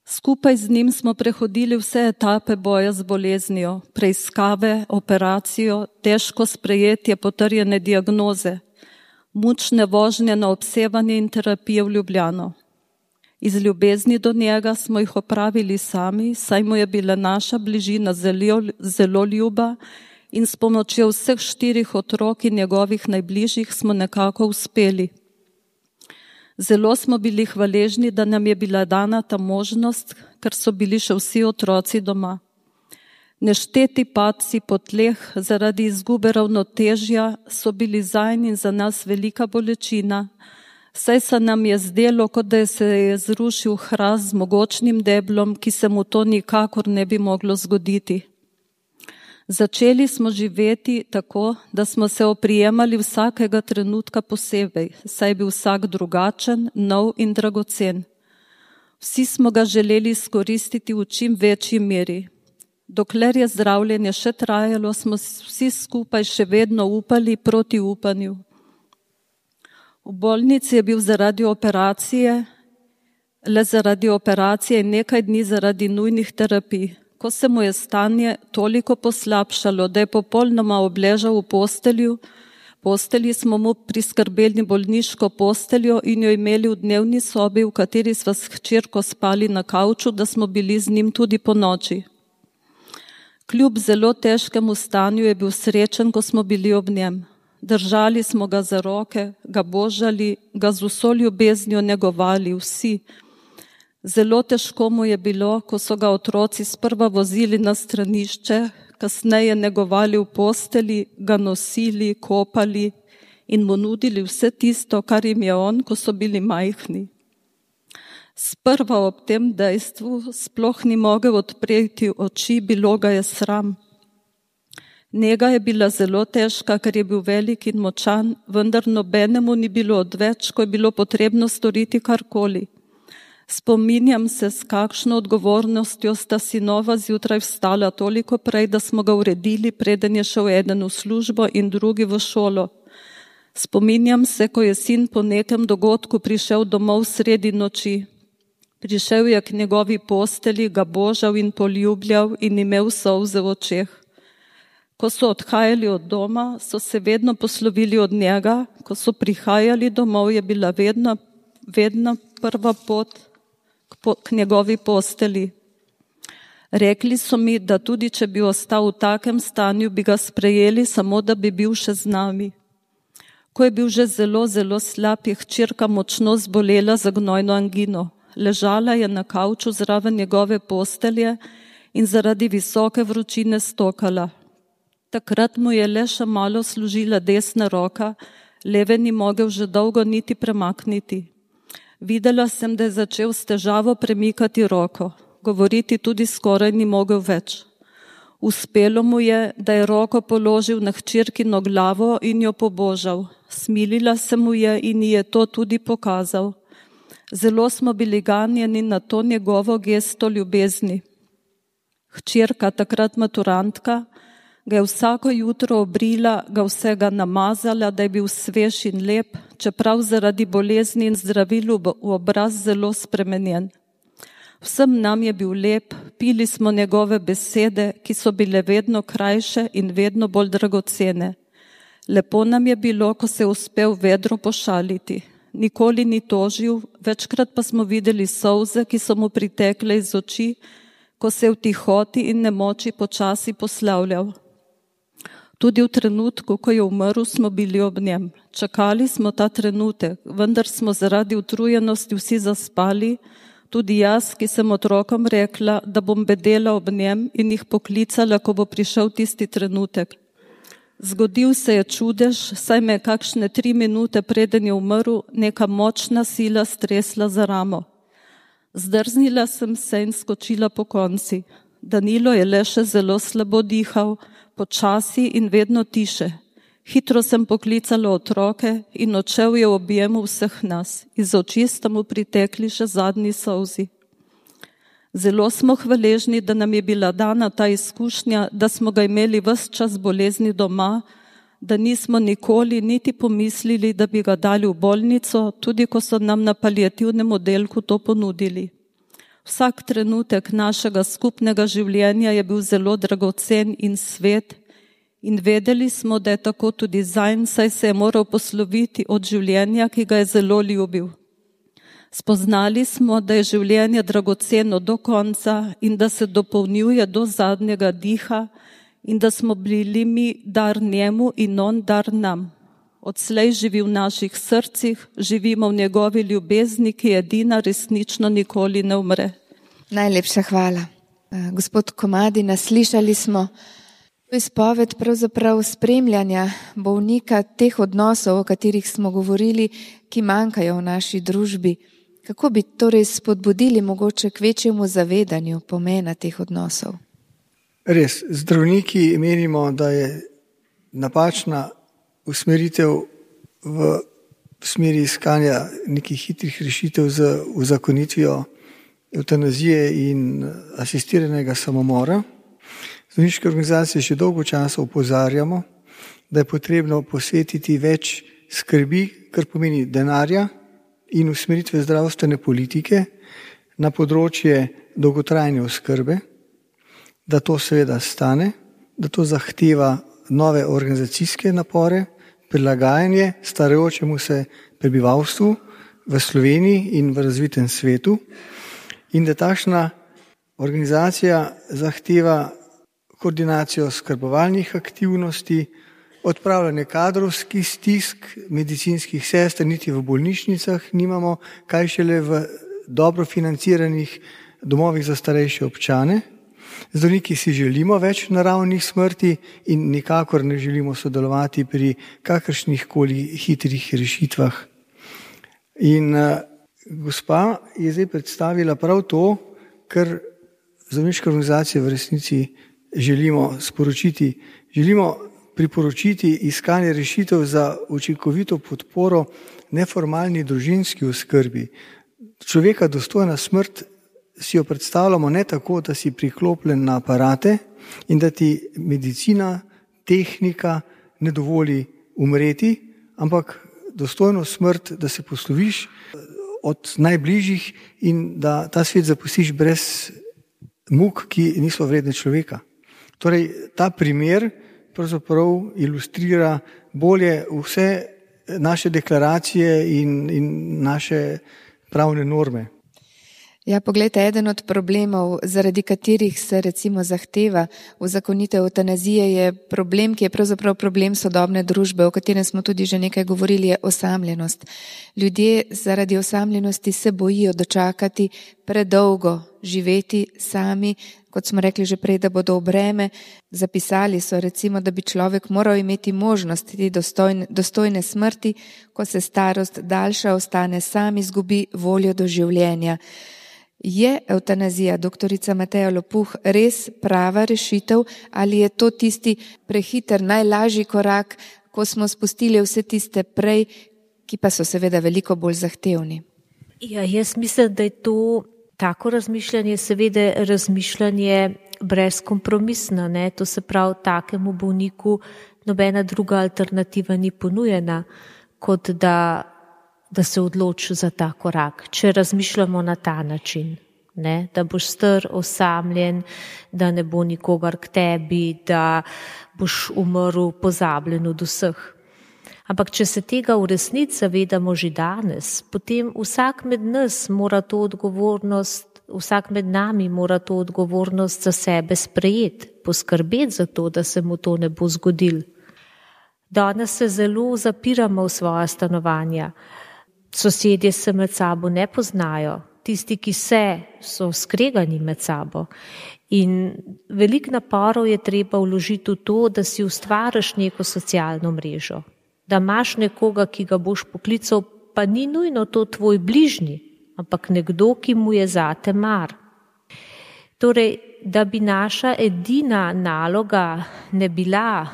Skupaj z njim smo prehodili vse etape boja z boleznijo, preiskave, operacijo, težko sprejetje potrjene diagnoze, mučne vožnje na obsevanje in terapije v Ljubljano. Iz ljubezni do njega smo jih opravili sami, saj mu je bila naša bližina zelo, zelo ljuba in s pomočjo vseh štirih otrok in njegovih najbližjih smo nekako uspeli. Zelo smo bili hvaležni, da nam je bila dana ta možnost, ker so bili še vsi otroci doma. Nešteti padci po tleh zaradi izgube ravnotežja so bili zanj in za nas velika bolečina, saj se nam je zdelo, kot da se je zrušil hrast z mogočnim deblom, ki se mu to nikakor ne bi moglo zgoditi. Začeli smo živeti tako, da smo se oprijemali vsakega trenutka posebej, saj je bil vsak drugačen, nov in dragocen. Vsi smo ga želeli izkoristiti v čim večji meri. Dokler je zdravljenje še trajalo, smo vsi skupaj še vedno upali proti upanju. V bolnici je bil zaradi operacije, le zaradi operacije in nekaj dni zaradi nujnih terapij. Ko se mu je stanje toliko poslabšalo, da je popolnoma obležal v postelju, postelji smo mu priskrbeli bolniško posteljo in jo imeli v dnevni sobi, v kateri sva s hčerko spali na kavču, da smo bili z njim tudi po noči. Kljub zelo težkemu stanju je bil srečen, ko smo bili ob njem. Držali smo ga za roke, ga božali, ga z vso ljubeznijo negovali vsi. Zelo težko mu je bilo, ko so ga otroci sprva vozili na stranišče, kasneje negovali v posteli, ga nosili, kopali in mu nudili vse tisto, kar jim je on, ko so bili majhni. Sprva ob tem dejstvu sploh ni mogel odpreti oči, bilo ga je sram. Njega je bila zelo težka, ker je bil velik in močan, vendar nobenemu ni bilo odveč, ko je bilo potrebno storiti karkoli. Spominjam se, s kakšno odgovornostjo sta sinova zjutraj vstala toliko prej, da smo ga uredili, preden je šel eden v službo in drugi v šolo. Spominjam se, ko je sin po nekem dogodku prišel domov sredi noči. Prišel je k njegovi posteli, ga božal in poljubljal in imel solze v očeh. Ko so odhajali od doma, so se vedno poslovili od njega, ko so prihajali domov, je bila vedno, vedno prva pot k njegovi posteli. Rekli so mi, da tudi če bi ostal v takem stanju, bi ga sprejeli, samo da bi bil še z nami. Ko je bil že zelo, zelo slab, je hčerka močno zbolela za gnojno angino. Ležala je na kavču zraven njegove postelje in zaradi visoke vročine stokala. Takrat mu je le še malo služila desna roka, leve ni mogel že dolgo niti premakniti. Videla sem, da je začel s težavo premikati roko. Govoriti tudi skoraj ni mogel več. Uspelo mu je, da je roko položil na hčerkino glavo in jo pobožal. Smilila se mu je in ji je to tudi pokazal. Zelo smo bili ganjeni na to njegovo gesto ljubezni. Hčerka, takrat maturantka, ga je vsako jutro obrila, ga vsega namazala, da je bil svež in lep, čeprav zaradi bolezni in zdravil v obraz zelo spremenjen. Vsem nam je bil lep, pili smo njegove besede, ki so bile vedno krajše in vedno bolj dragocene. Lepo nam je bilo, ko se je uspel vedro pošaliti. Nikoli ni tožil, večkrat pa smo videli solze, ki so mu pritekle iz oči, ko se je v tihoti in nemoči počasi poslavljal. Tudi v trenutku, ko je umrl, smo bili ob njem. Čakali smo ta trenutek, vendar smo zaradi utrujenosti vsi zaspali, tudi jaz, ki sem otrokom rekla, da bom bedela ob njem in jih poklicala, ko bo prišel tisti trenutek. Zgodil se je čudež, saj me je kakšne tri minute preden je umrl neka močna sila stresla za ramo. Zdrznila sem se in skočila po konci. Danilo je le še zelo slabo dihal, počasi in vedno tiše. Hitro sem poklicala otroke in odšel je v objemu vseh nas. Iz oči sta mu pritekli še zadnji solzi. Zelo smo hvaležni, da nam je bila dana ta izkušnja, da smo ga imeli ves čas bolezni doma, da nismo nikoli niti pomislili, da bi ga dali v bolnico, tudi ko so nam na paliativnem oddelku to ponudili. Vsak trenutek našega skupnega življenja je bil zelo dragocen in svet in vedeli smo, da je tako tudi zanj, saj se je moral posloviti od življenja, ki ga je zelo ljubil. Spoznali smo, da je življenje dragoceno do konca in da se dopolnjuje do zadnjega diha in da smo bili mi dar njemu in on dar nam. Odslej živi v naših srcih, živimo v njegovi ljubezni, ki edina resnično nikoli ne umre. Najlepša hvala. Gospod Komadina, slišali smo izpoved pravzaprav spremljanja bolnika, teh odnosov, o katerih smo govorili, ki manjkajo v naši družbi. Kako bi torej spodbudili mogoče k večjemu zavedanju pomena teh odnosov? Res, zdravniki menimo, da je napačna usmeritev v smeri iskanja nekih hitrih rešitev z uzakonitvijo evtanazije in asistiranega samomora. Zdravniške organizacije že dolgo časa opozarjamo, da je potrebno posvetiti več skrbi, kar pomeni denarja in usmeritve zdravstvene politike na področje dolgotrajne oskrbe, da to seveda stane, da to zahteva nove organizacijske napore, prilagajanje starajočemu se prebivalstvu v Sloveniji in v razvitem svetu in da takšna organizacija zahteva koordinacijo skrbovalnih aktivnosti, odpravljanje kadrovskih stisk, medicinskih sester, niti v bolnišnicah nimamo, kaj šele v dobro financiranih domovih za starejše občane. Zdravniki si želimo več naravnih smrti in nikakor ne želimo sodelovati pri kakršnih koli hitrih rešitvah. In uh, gospa je zdaj predstavila prav to, kar zdravniške organizacije v resnici želimo sporočiti. Želimo priporočiti iskanje rešitev za učinkovito podporo neformalni družinski oskrbi. Človeka dostojna smrt si jo predstavljamo ne tako, da si priklopljen na aparate in da ti medicina, tehnika ne dovoli umreti, ampak dostojno smrt, da se posloviš od najbližjih in da ta svet zapustiš brez muk, ki niso vredne človeka. Torej, ta primer pravzaprav ilustrira bolje vse naše deklaracije in, in naše pravne norme. Ja, poglejte, eden od problemov, zaradi katerih se recimo zahteva uzakonitev evtanazije, je problem, ki je pravzaprav problem sodobne družbe, o katerem smo tudi že nekaj govorili, je osamljenost. Ljudje zaradi osamljenosti se bojijo dočakati predolgo, živeti sami, kot smo rekli že prej, da bodo v breme. Zapisali so recimo, da bi človek moral imeti možnost te dostojne, dostojne smrti, ko se starost daljša, ostane sam, izgubi voljo do življenja. Je evtanazija, doktorica Mateja Lopuh, res prava rešitev ali je to tisti prehiter, najlažji korak, ko smo spustili vse tiste prej, ki pa so seveda veliko bolj zahtevni? Ja, jaz mislim, da je to tako razmišljanje, seveda razmišljanje brezkompromisno, ne? To se pravi, takemu bolniku nobena druga alternativa ni ponujena, kot da da se odloči za ta korak, če razmišljamo na ta način, ne? Da boš star, osamljen, da ne bo nikogar k tebi, da boš umrl pozabljen od vseh. Ampak če se tega v resnici zavedamo že danes, potem vsak med nas mora to odgovornost, vsak med nami mora to odgovornost za sebe sprejeti, poskrbeti za to, da se mu to ne bo zgodilo. Danes se zelo zapiramo v svoja stanovanja. Sosedje se med sabo ne poznajo, tisti, ki se, so skregani med sabo. In veliko naporov je treba vložiti v to, da si ustvariš neko socialno mrežo, da imaš nekoga, ki ga boš poklical, pa ni nujno to tvoj bližnji, ampak nekdo, ki mu je zate mar. Torej, da bi naša edina naloga ne bila,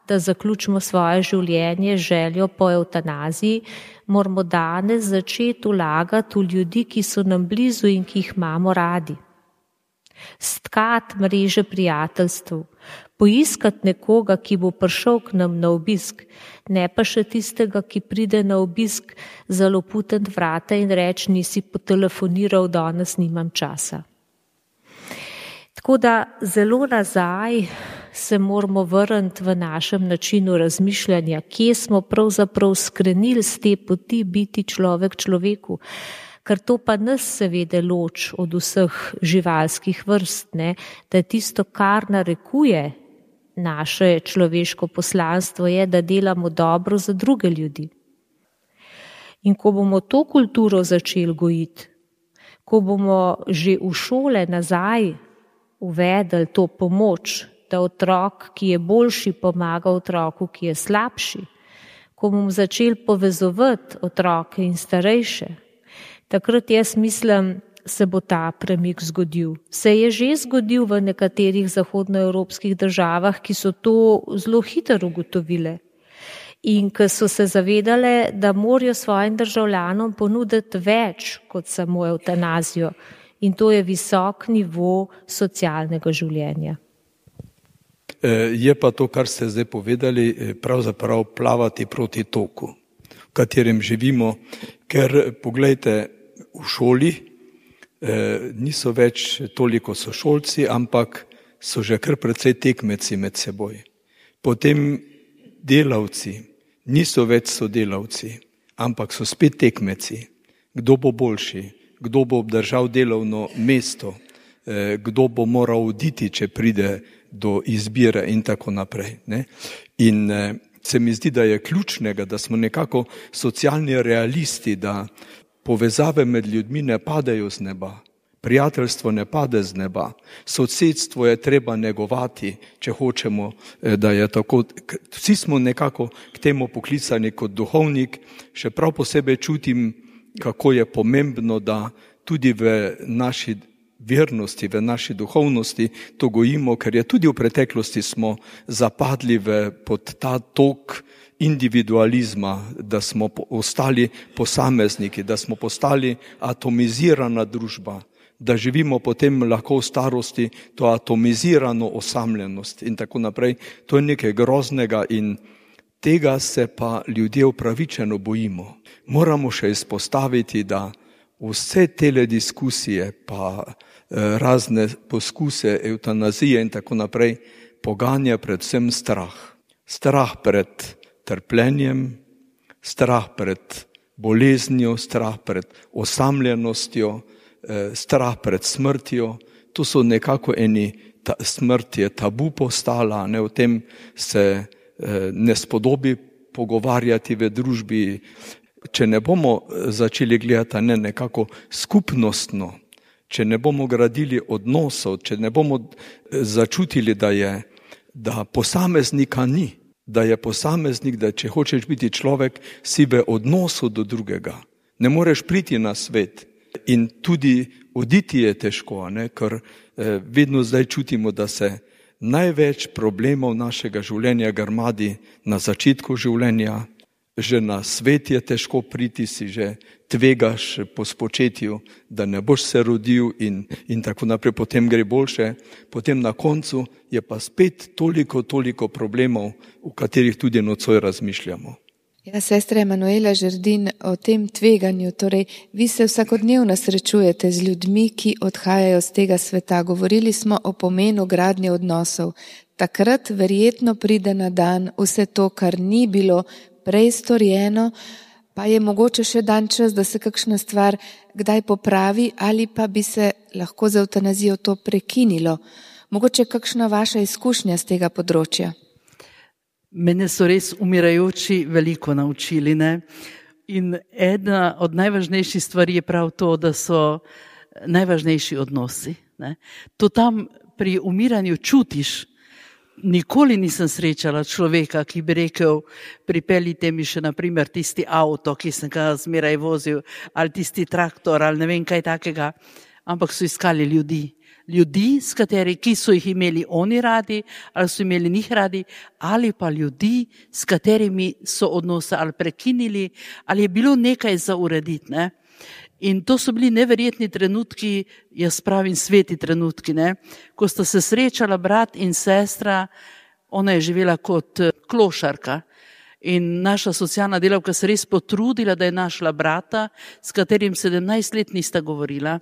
da zaključimo svoje življenje z željo po evtanaziji, moramo danes začeti vlagati v ljudi, ki so nam blizu in ki jih imamo radi. Stkati mreže prijateljstv, Poiskati nekoga, ki bo prišel k nam na obisk, ne pa še tistega, ki pride na obisk zaloputiti vrata in reči, nisi potelefoniral, danes nimam časa. Tako da zelo nazaj se moramo vrniti v našem načinu razmišljanja, kje smo pravzaprav skrenili z te poti biti človek človeku, ker to pa nas seveda loči od vseh živalskih vrst, ne? Da tisto, kar narekuje naše človeško poslanstvo, je, da delamo dobro za druge ljudi. In ko bomo to kulturo začeli gojiti, ko bomo že v šole nazaj uvedli to pomoč, da otrok, ki je boljši, pomaga otroku, ki je slabši, ko bomo začeli povezovati otroke in starejše, takrat jaz mislim, se bo ta premik zgodil. Se je že zgodil v nekaterih zahodnoevropskih državah, ki so to zelo hitro ugotovile in ki so se zavedale, da morajo svojim državljanom ponuditi več kot samo evtanazijo. In to je visok nivo socialnega življenja. Je pa to, kar ste zdaj povedali, pravzaprav plavati proti toku, v katerem živimo, ker poglejte, v šoli niso več toliko sošolci, ampak so že kar precej tekmeci med seboj. Potem delavci niso več sodelavci, ampak so spet tekmeci. Kdo bo boljši, kdo bo obdržal delovno mesto, kdo bo moral oditi, če pride do izbire in tako naprej. Ne? In se mi zdi, da je ključnega, da smo nekako socialni realisti, da povezave med ljudmi ne padejo z neba, prijateljstvo ne pade z neba, sosedstvo je treba negovati, če hočemo, da je tako. Vsi smo nekako k temu poklicani kot duhovnik, še prav posebej čutim, kako je pomembno, da tudi v naši vernosti, v naši duhovnosti to gojimo, ker je tudi v preteklosti smo zapadli v, pod ta tok individualizma, da smo ostali posamezniki, da smo postali atomizirana družba, da živimo potem lahko v starosti to atomizirano osamljenost in tako naprej. To je nekaj groznega in tega se pa ljudje upravičeno bojimo. Moramo še izpostaviti, da vse tele diskusije pa razne poskuse evtanazije in tako naprej poganja predvsem strah. Strah pred trpljenjem, strah pred boleznijo, strah pred osamljenostjo, strah pred smrtjo. To so nekako eni, ta, smrt je tabu postala, ne, o tem se ne spodobi pogovarjati v družbi. Če ne bomo začeli gledati ne nekako skupnostno, če ne bomo gradili odnosov, če ne bomo začutili, da je, da posameznika ni, da je posameznik, da če hočeš biti človek, si v odnosu do drugega. Ne moreš priti na svet in tudi oditi je težko, ne? Ker eh, vedno zdaj čutimo, da se največ problemov našega življenja grmadi na začetku življenja. Že na svet je težko priti, si že tvegaš po spočetju, da ne boš se rodil in, in tako naprej, potem gre boljše. Potem na koncu je pa spet toliko, toliko problemov, v katerih tudi nocoj razmišljamo. Ja, sestra Emanuela Žerdin, o tem tveganju, torej vi se vsakodnevno srečujete z ljudmi, ki odhajajo z tega sveta. Govorili smo o pomenu gradnje odnosov. Takrat verjetno pride na dan vse to, kar ni bilo prej storjeno, pa je mogoče še dan čas, da se kakšna stvar kdaj popravi ali pa bi se lahko za evtanazijo to prekinilo. Mogoče kakšna vaša izkušnja z tega področja? Mene so res umirajoči veliko naučili, ne? In ena od najvažnejših stvari je prav to, da so najvažnejši odnosi, ne? To tam pri umiranju čutiš. Nikoli nisem srečala človeka, ki bi rekel, pripeljite mi še naprimer tisti avto, ki sem ga zmeraj vozil, ali tisti traktor, ali ne vem kaj takega, ampak so iskali ljudi. Ljudi, s kateri, ki so jih imeli oni radi, ali so imeli njih radi, ali pa ljudi, s katerimi so odnose ali prekinili, ali je bilo nekaj za urediti, ne? In to so bili neverjetni trenutki, jaz pravim sveti trenutki, ne? Ko sta se srečala brat in sestra, ona je živela kot klošarka. In naša socialna delavka se res potrudila, da je našla brata, s katerim sedemnajst let nista govorila.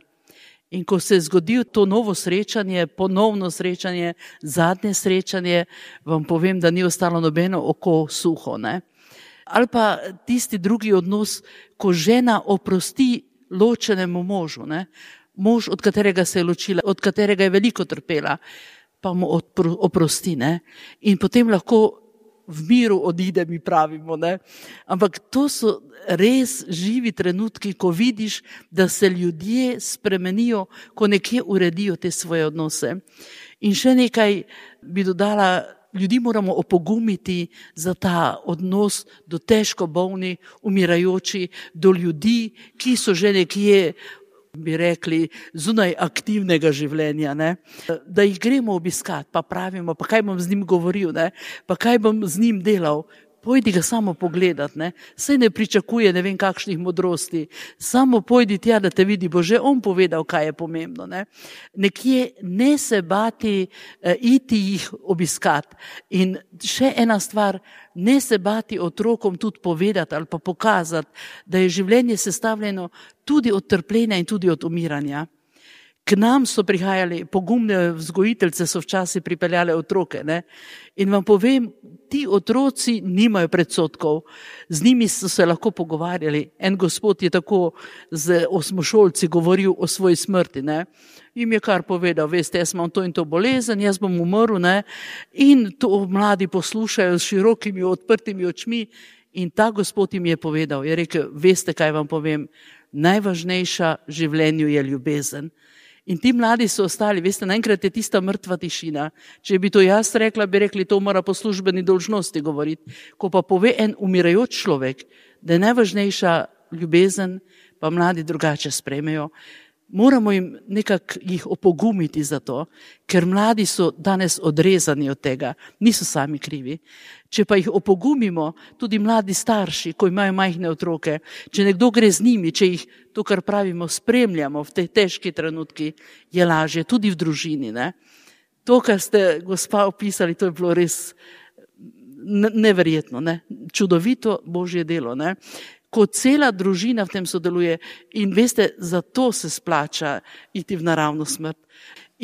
In ko se je zgodilo to novo srečanje, ponovno srečanje, zadnje srečanje, vam povem, da ni ostalo nobeno oko suho, ne? Ali pa tisti drugi odnos, ko žena oprosti ločenemu možu, ne? Mož, od katerega se je ločila, od katerega je veliko trpela, pa mu odpro, oprosti, ne? In potem lahko v miru odide, mi pravimo, ne? Ampak to so res živi trenutki, ko vidiš, da se ljudje spremenijo, ko nekje uredijo te svoje odnose. In še nekaj bi dodala, ljudi moramo opogumiti za ta odnos do težko bolni, umirajoči, do ljudi, ki so že nekje, bi rekli, zunaj aktivnega življenja, ne? Da jih gremo obiskat, pa pravimo, pa kaj bom z njim govoril, ne? Pa kaj bom z njim delal. Pojdi ga samo pogledat, ne? Saj ne pričakuje ne vem kakšnih modrosti. Samo pojdi tja, da te vidi, bo že on povedal, kaj je pomembno, ne? Nekje ne se bati, eh, iti jih obiskat. In še ena stvar, ne se bati otrokom tudi povedati ali pa pokazati, da je življenje sestavljeno tudi od trpljenja in tudi od umiranja. K nam so prihajali, pogumne vzgojiteljice so včasih pripeljale otroke, ne? In vam povem, ti otroci nimajo predsodkov, z njimi so se lahko pogovarjali. En gospod je tako z osmošolci govoril o svoji smrti, ne? Im je kar povedal, veste, jaz imam to in to bolezen, jaz bom umrl, ne? In to mladi poslušajo s širokimi odprtimi očmi in ta gospod jim je povedal, je rekel, veste, kaj vam povem, najvažnejša v življenju je ljubezen. In ti mladi so ostali, veste, naenkrat je tista mrtva tišina. Če bi to jaz rekla, bi rekli, to mora po službeni dolžnosti govoriti. Ko pa pove en umirajoč človek, da je najvažnejša ljubezen, pa mladi drugače sprejmejo. Moramo jim nekako jih opogumiti za to, ker mladi so danes odrezani od tega, niso sami krivi. Če pa jih opogumimo, tudi mladi starši, ko imajo majhne otroke, če nekdo gre z njimi, če jih, to kar pravimo, spremljamo v tej težki trenutki, je lažje, tudi v družini, ne? To, kar ste, gospa, opisali, to je bilo res neverjetno, ne? Čudovito Božje delo, ne? Ko cela družina v tem sodeluje in veste, zato se splača iti v naravno smrt.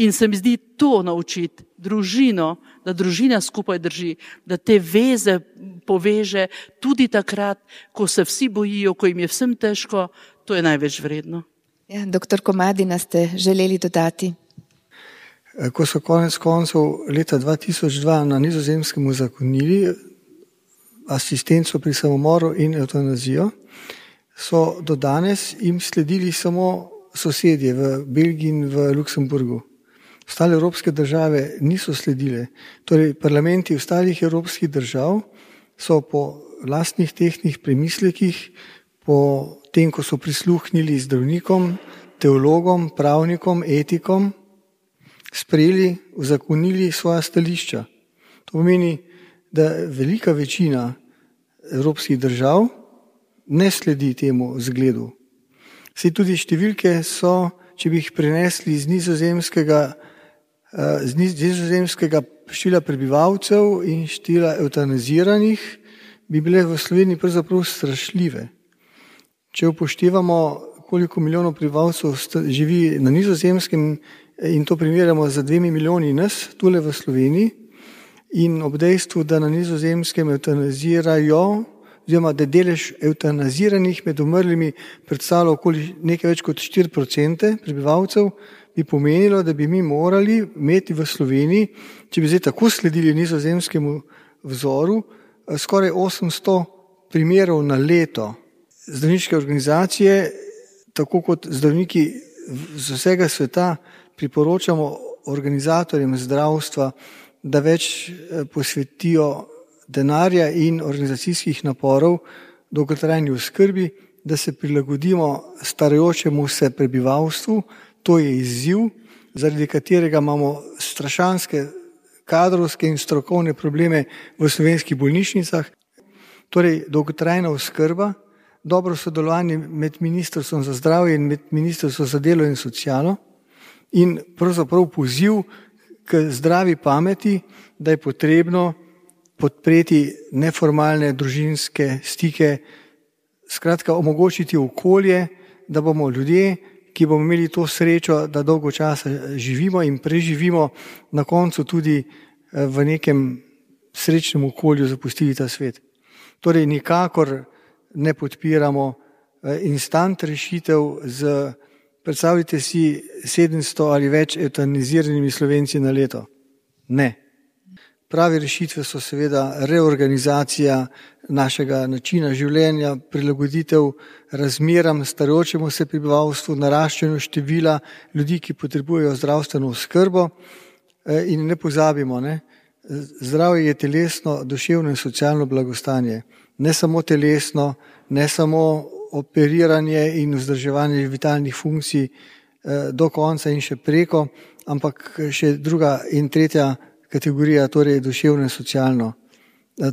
In se mi zdi to naučiti družino, da družina skupaj drži, da te veze poveže tudi takrat, ko se vsi bojijo, ko jim je vsem težko, to je največ vredno. Ja, doktor Komadina, ste želeli dodati? Ko so konec koncev leta dva tisoč dva na Nizozemskem uzakonili asistenco pri samomoru in evtanazijo, so do danes jim sledili samo sosedje v Belgiji in v Luksemburgu. Ostale evropske države niso sledile. Torej, parlamenti ostalih evropskih držav so po lastnih tehtnih premislekih, po tem, ko so prisluhnili zdravnikom, teologom, pravnikom, etikom, sprejeli, uzakonili svoja stališča. To pomeni, da velika večina evropskih držav ne sledi temu zgledu. Saj tudi številke so, če bi jih prenesli z nizozemskega, z nizozemskega števila prebivalcev in števila evtanaziranih, bi bile v Sloveniji pravzaprav strašljive. Če upoštevamo, koliko milijonov prebivalcev živi na Nizozemskem in to primerjamo za dvemi milijoni nas tule v Sloveniji, in ob dejstvu, da na Nizozemskem evtanazirajo, oziroma da delež evtanaziranih med umrlimi predstavlja okoli nekaj več kot štiri procente prebivalcev, bi pomenilo, da bi mi morali imeti v Sloveniji, če bi zdaj tako sledili nizozemskemu vzoru, skoraj osemsto primerov na leto. Zdravniške organizacije, tako kot zdravniki z vsega sveta, priporočamo organizatorjem zdravstva, da več posvetijo denarja in organizacijskih naporov dolgotrajni oskrbi, da se prilagodimo starajočemu se prebivalstvu. To je izziv, zaradi katerega imamo strašanske kadrovske in strokovne probleme v slovenskih bolnišnicah. Torej, dolgotrajna oskrba dobro sodelovanje med Ministrstvom za zdravje in med Ministrstvom za delo in socialo in pravzaprav poziv k zdravi pameti, da je potrebno podpreti neformalne družinske stike, skratka omogočiti okolje, da bomo ljudje, ki bomo imeli to srečo, da dolgo časa živimo in preživimo, na koncu tudi v nekem srečnem okolju zapustili ta svet. Torej nikakor ne podpiramo instant rešitev z, predstavljajte si, sedemsto ali več evtaniziranimi Slovenci na leto. Ne. Prave rešitve so seveda reorganizacija našega načina življenja, prilagoditev razmeram starajočemu se prebivalstvu, naraščanju števila ljudi, ki potrebujejo zdravstveno oskrbo. In ne pozabimo, ne, zdravje je telesno, duševno in socialno blagostanje. Ne samo telesno, ne samo operiranje in vzdrževanje vitalnih funkcij do konca in še preko, ampak še druga in tretja kategorija, torej duševno in socialno.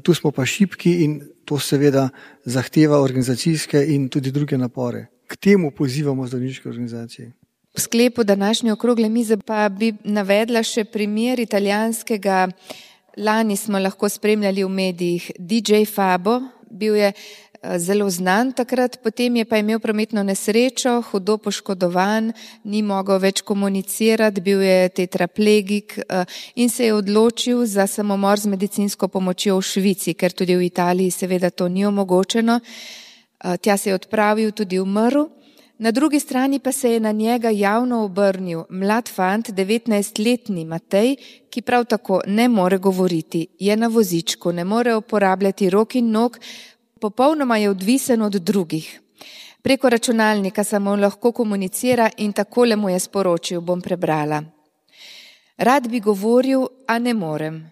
Tu smo pa šibki in to seveda zahteva organizacijske in tudi druge napore. K temu pozivamo zdravniške organizacije. V sklepu današnje okrogle mize pa bi navedla še primer italijanskega, lani smo lahko spremljali v medijih, D J Fabo, bil je zelo znan takrat, potem je pa imel prometno nesrečo, hudo poškodovan, ni mogel več komunicirati, bil je tetraplegik in se je odločil za samomor z medicinsko pomočjo v Švici, ker tudi v Italiji seveda to ni omogočeno. Tja se je odpravil, tudi umrl. Na drugi strani pa se je na njega javno obrnil mlad fant, devetnajstletni Matej, ki prav tako ne more govoriti, je na vozičku, ne more uporabljati rok in nog, popolnoma je odvisen od drugih. Preko računalnika samo lahko komunicira in takole mu je sporočil, bom prebrala. Rad bi govoril, a ne morem.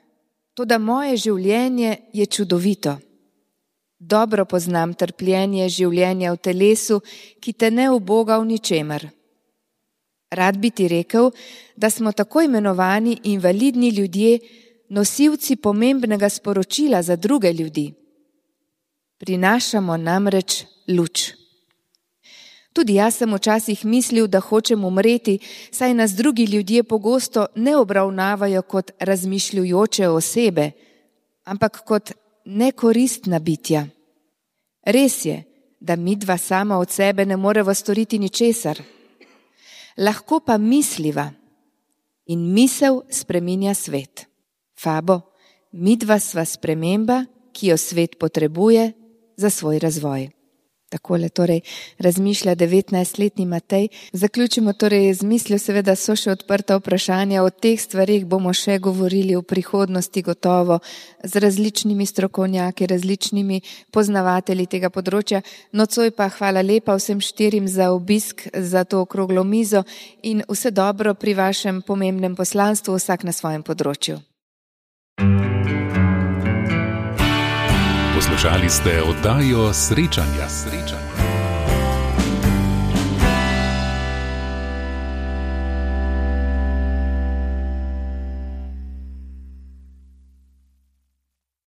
Toda moje življenje je čudovito. Dobro poznam trpljenje življenja v telesu, ki te ne uboga v ničemer. Rad bi ti rekel, da smo tako imenovani invalidni ljudje, nosilci pomembnega sporočila za druge ljudi. Prinašamo namreč luč. Tudi jaz sem včasih mislil, da hočem umreti, saj nas drugi ljudje pogosto ne obravnavajo kot razmišljujoče osebe, ampak kot nekoristna bitja. Res je, da midva sama od sebe ne moreva storiti ničesar. Lahko pa misliva in misel spreminja svet. Fabo, midva sva sprememba, ki jo svet potrebuje za svoj razvoj. Takole torej razmišlja devetnajstletni Matej. Zaključimo torej z mislijo, seveda so še odprta vprašanja, o teh stvarih bomo še govorili v prihodnosti gotovo z različnimi strokovnjaki, različnimi poznavatelji tega področja. Nocoj pa hvala lepa vsem štirim za obisk, za to okroglo mizo in vse dobro pri vašem pomembnem poslanstvu, vsak na svojem področju. Poslušali ste oddajo Srečanja. Srečanja.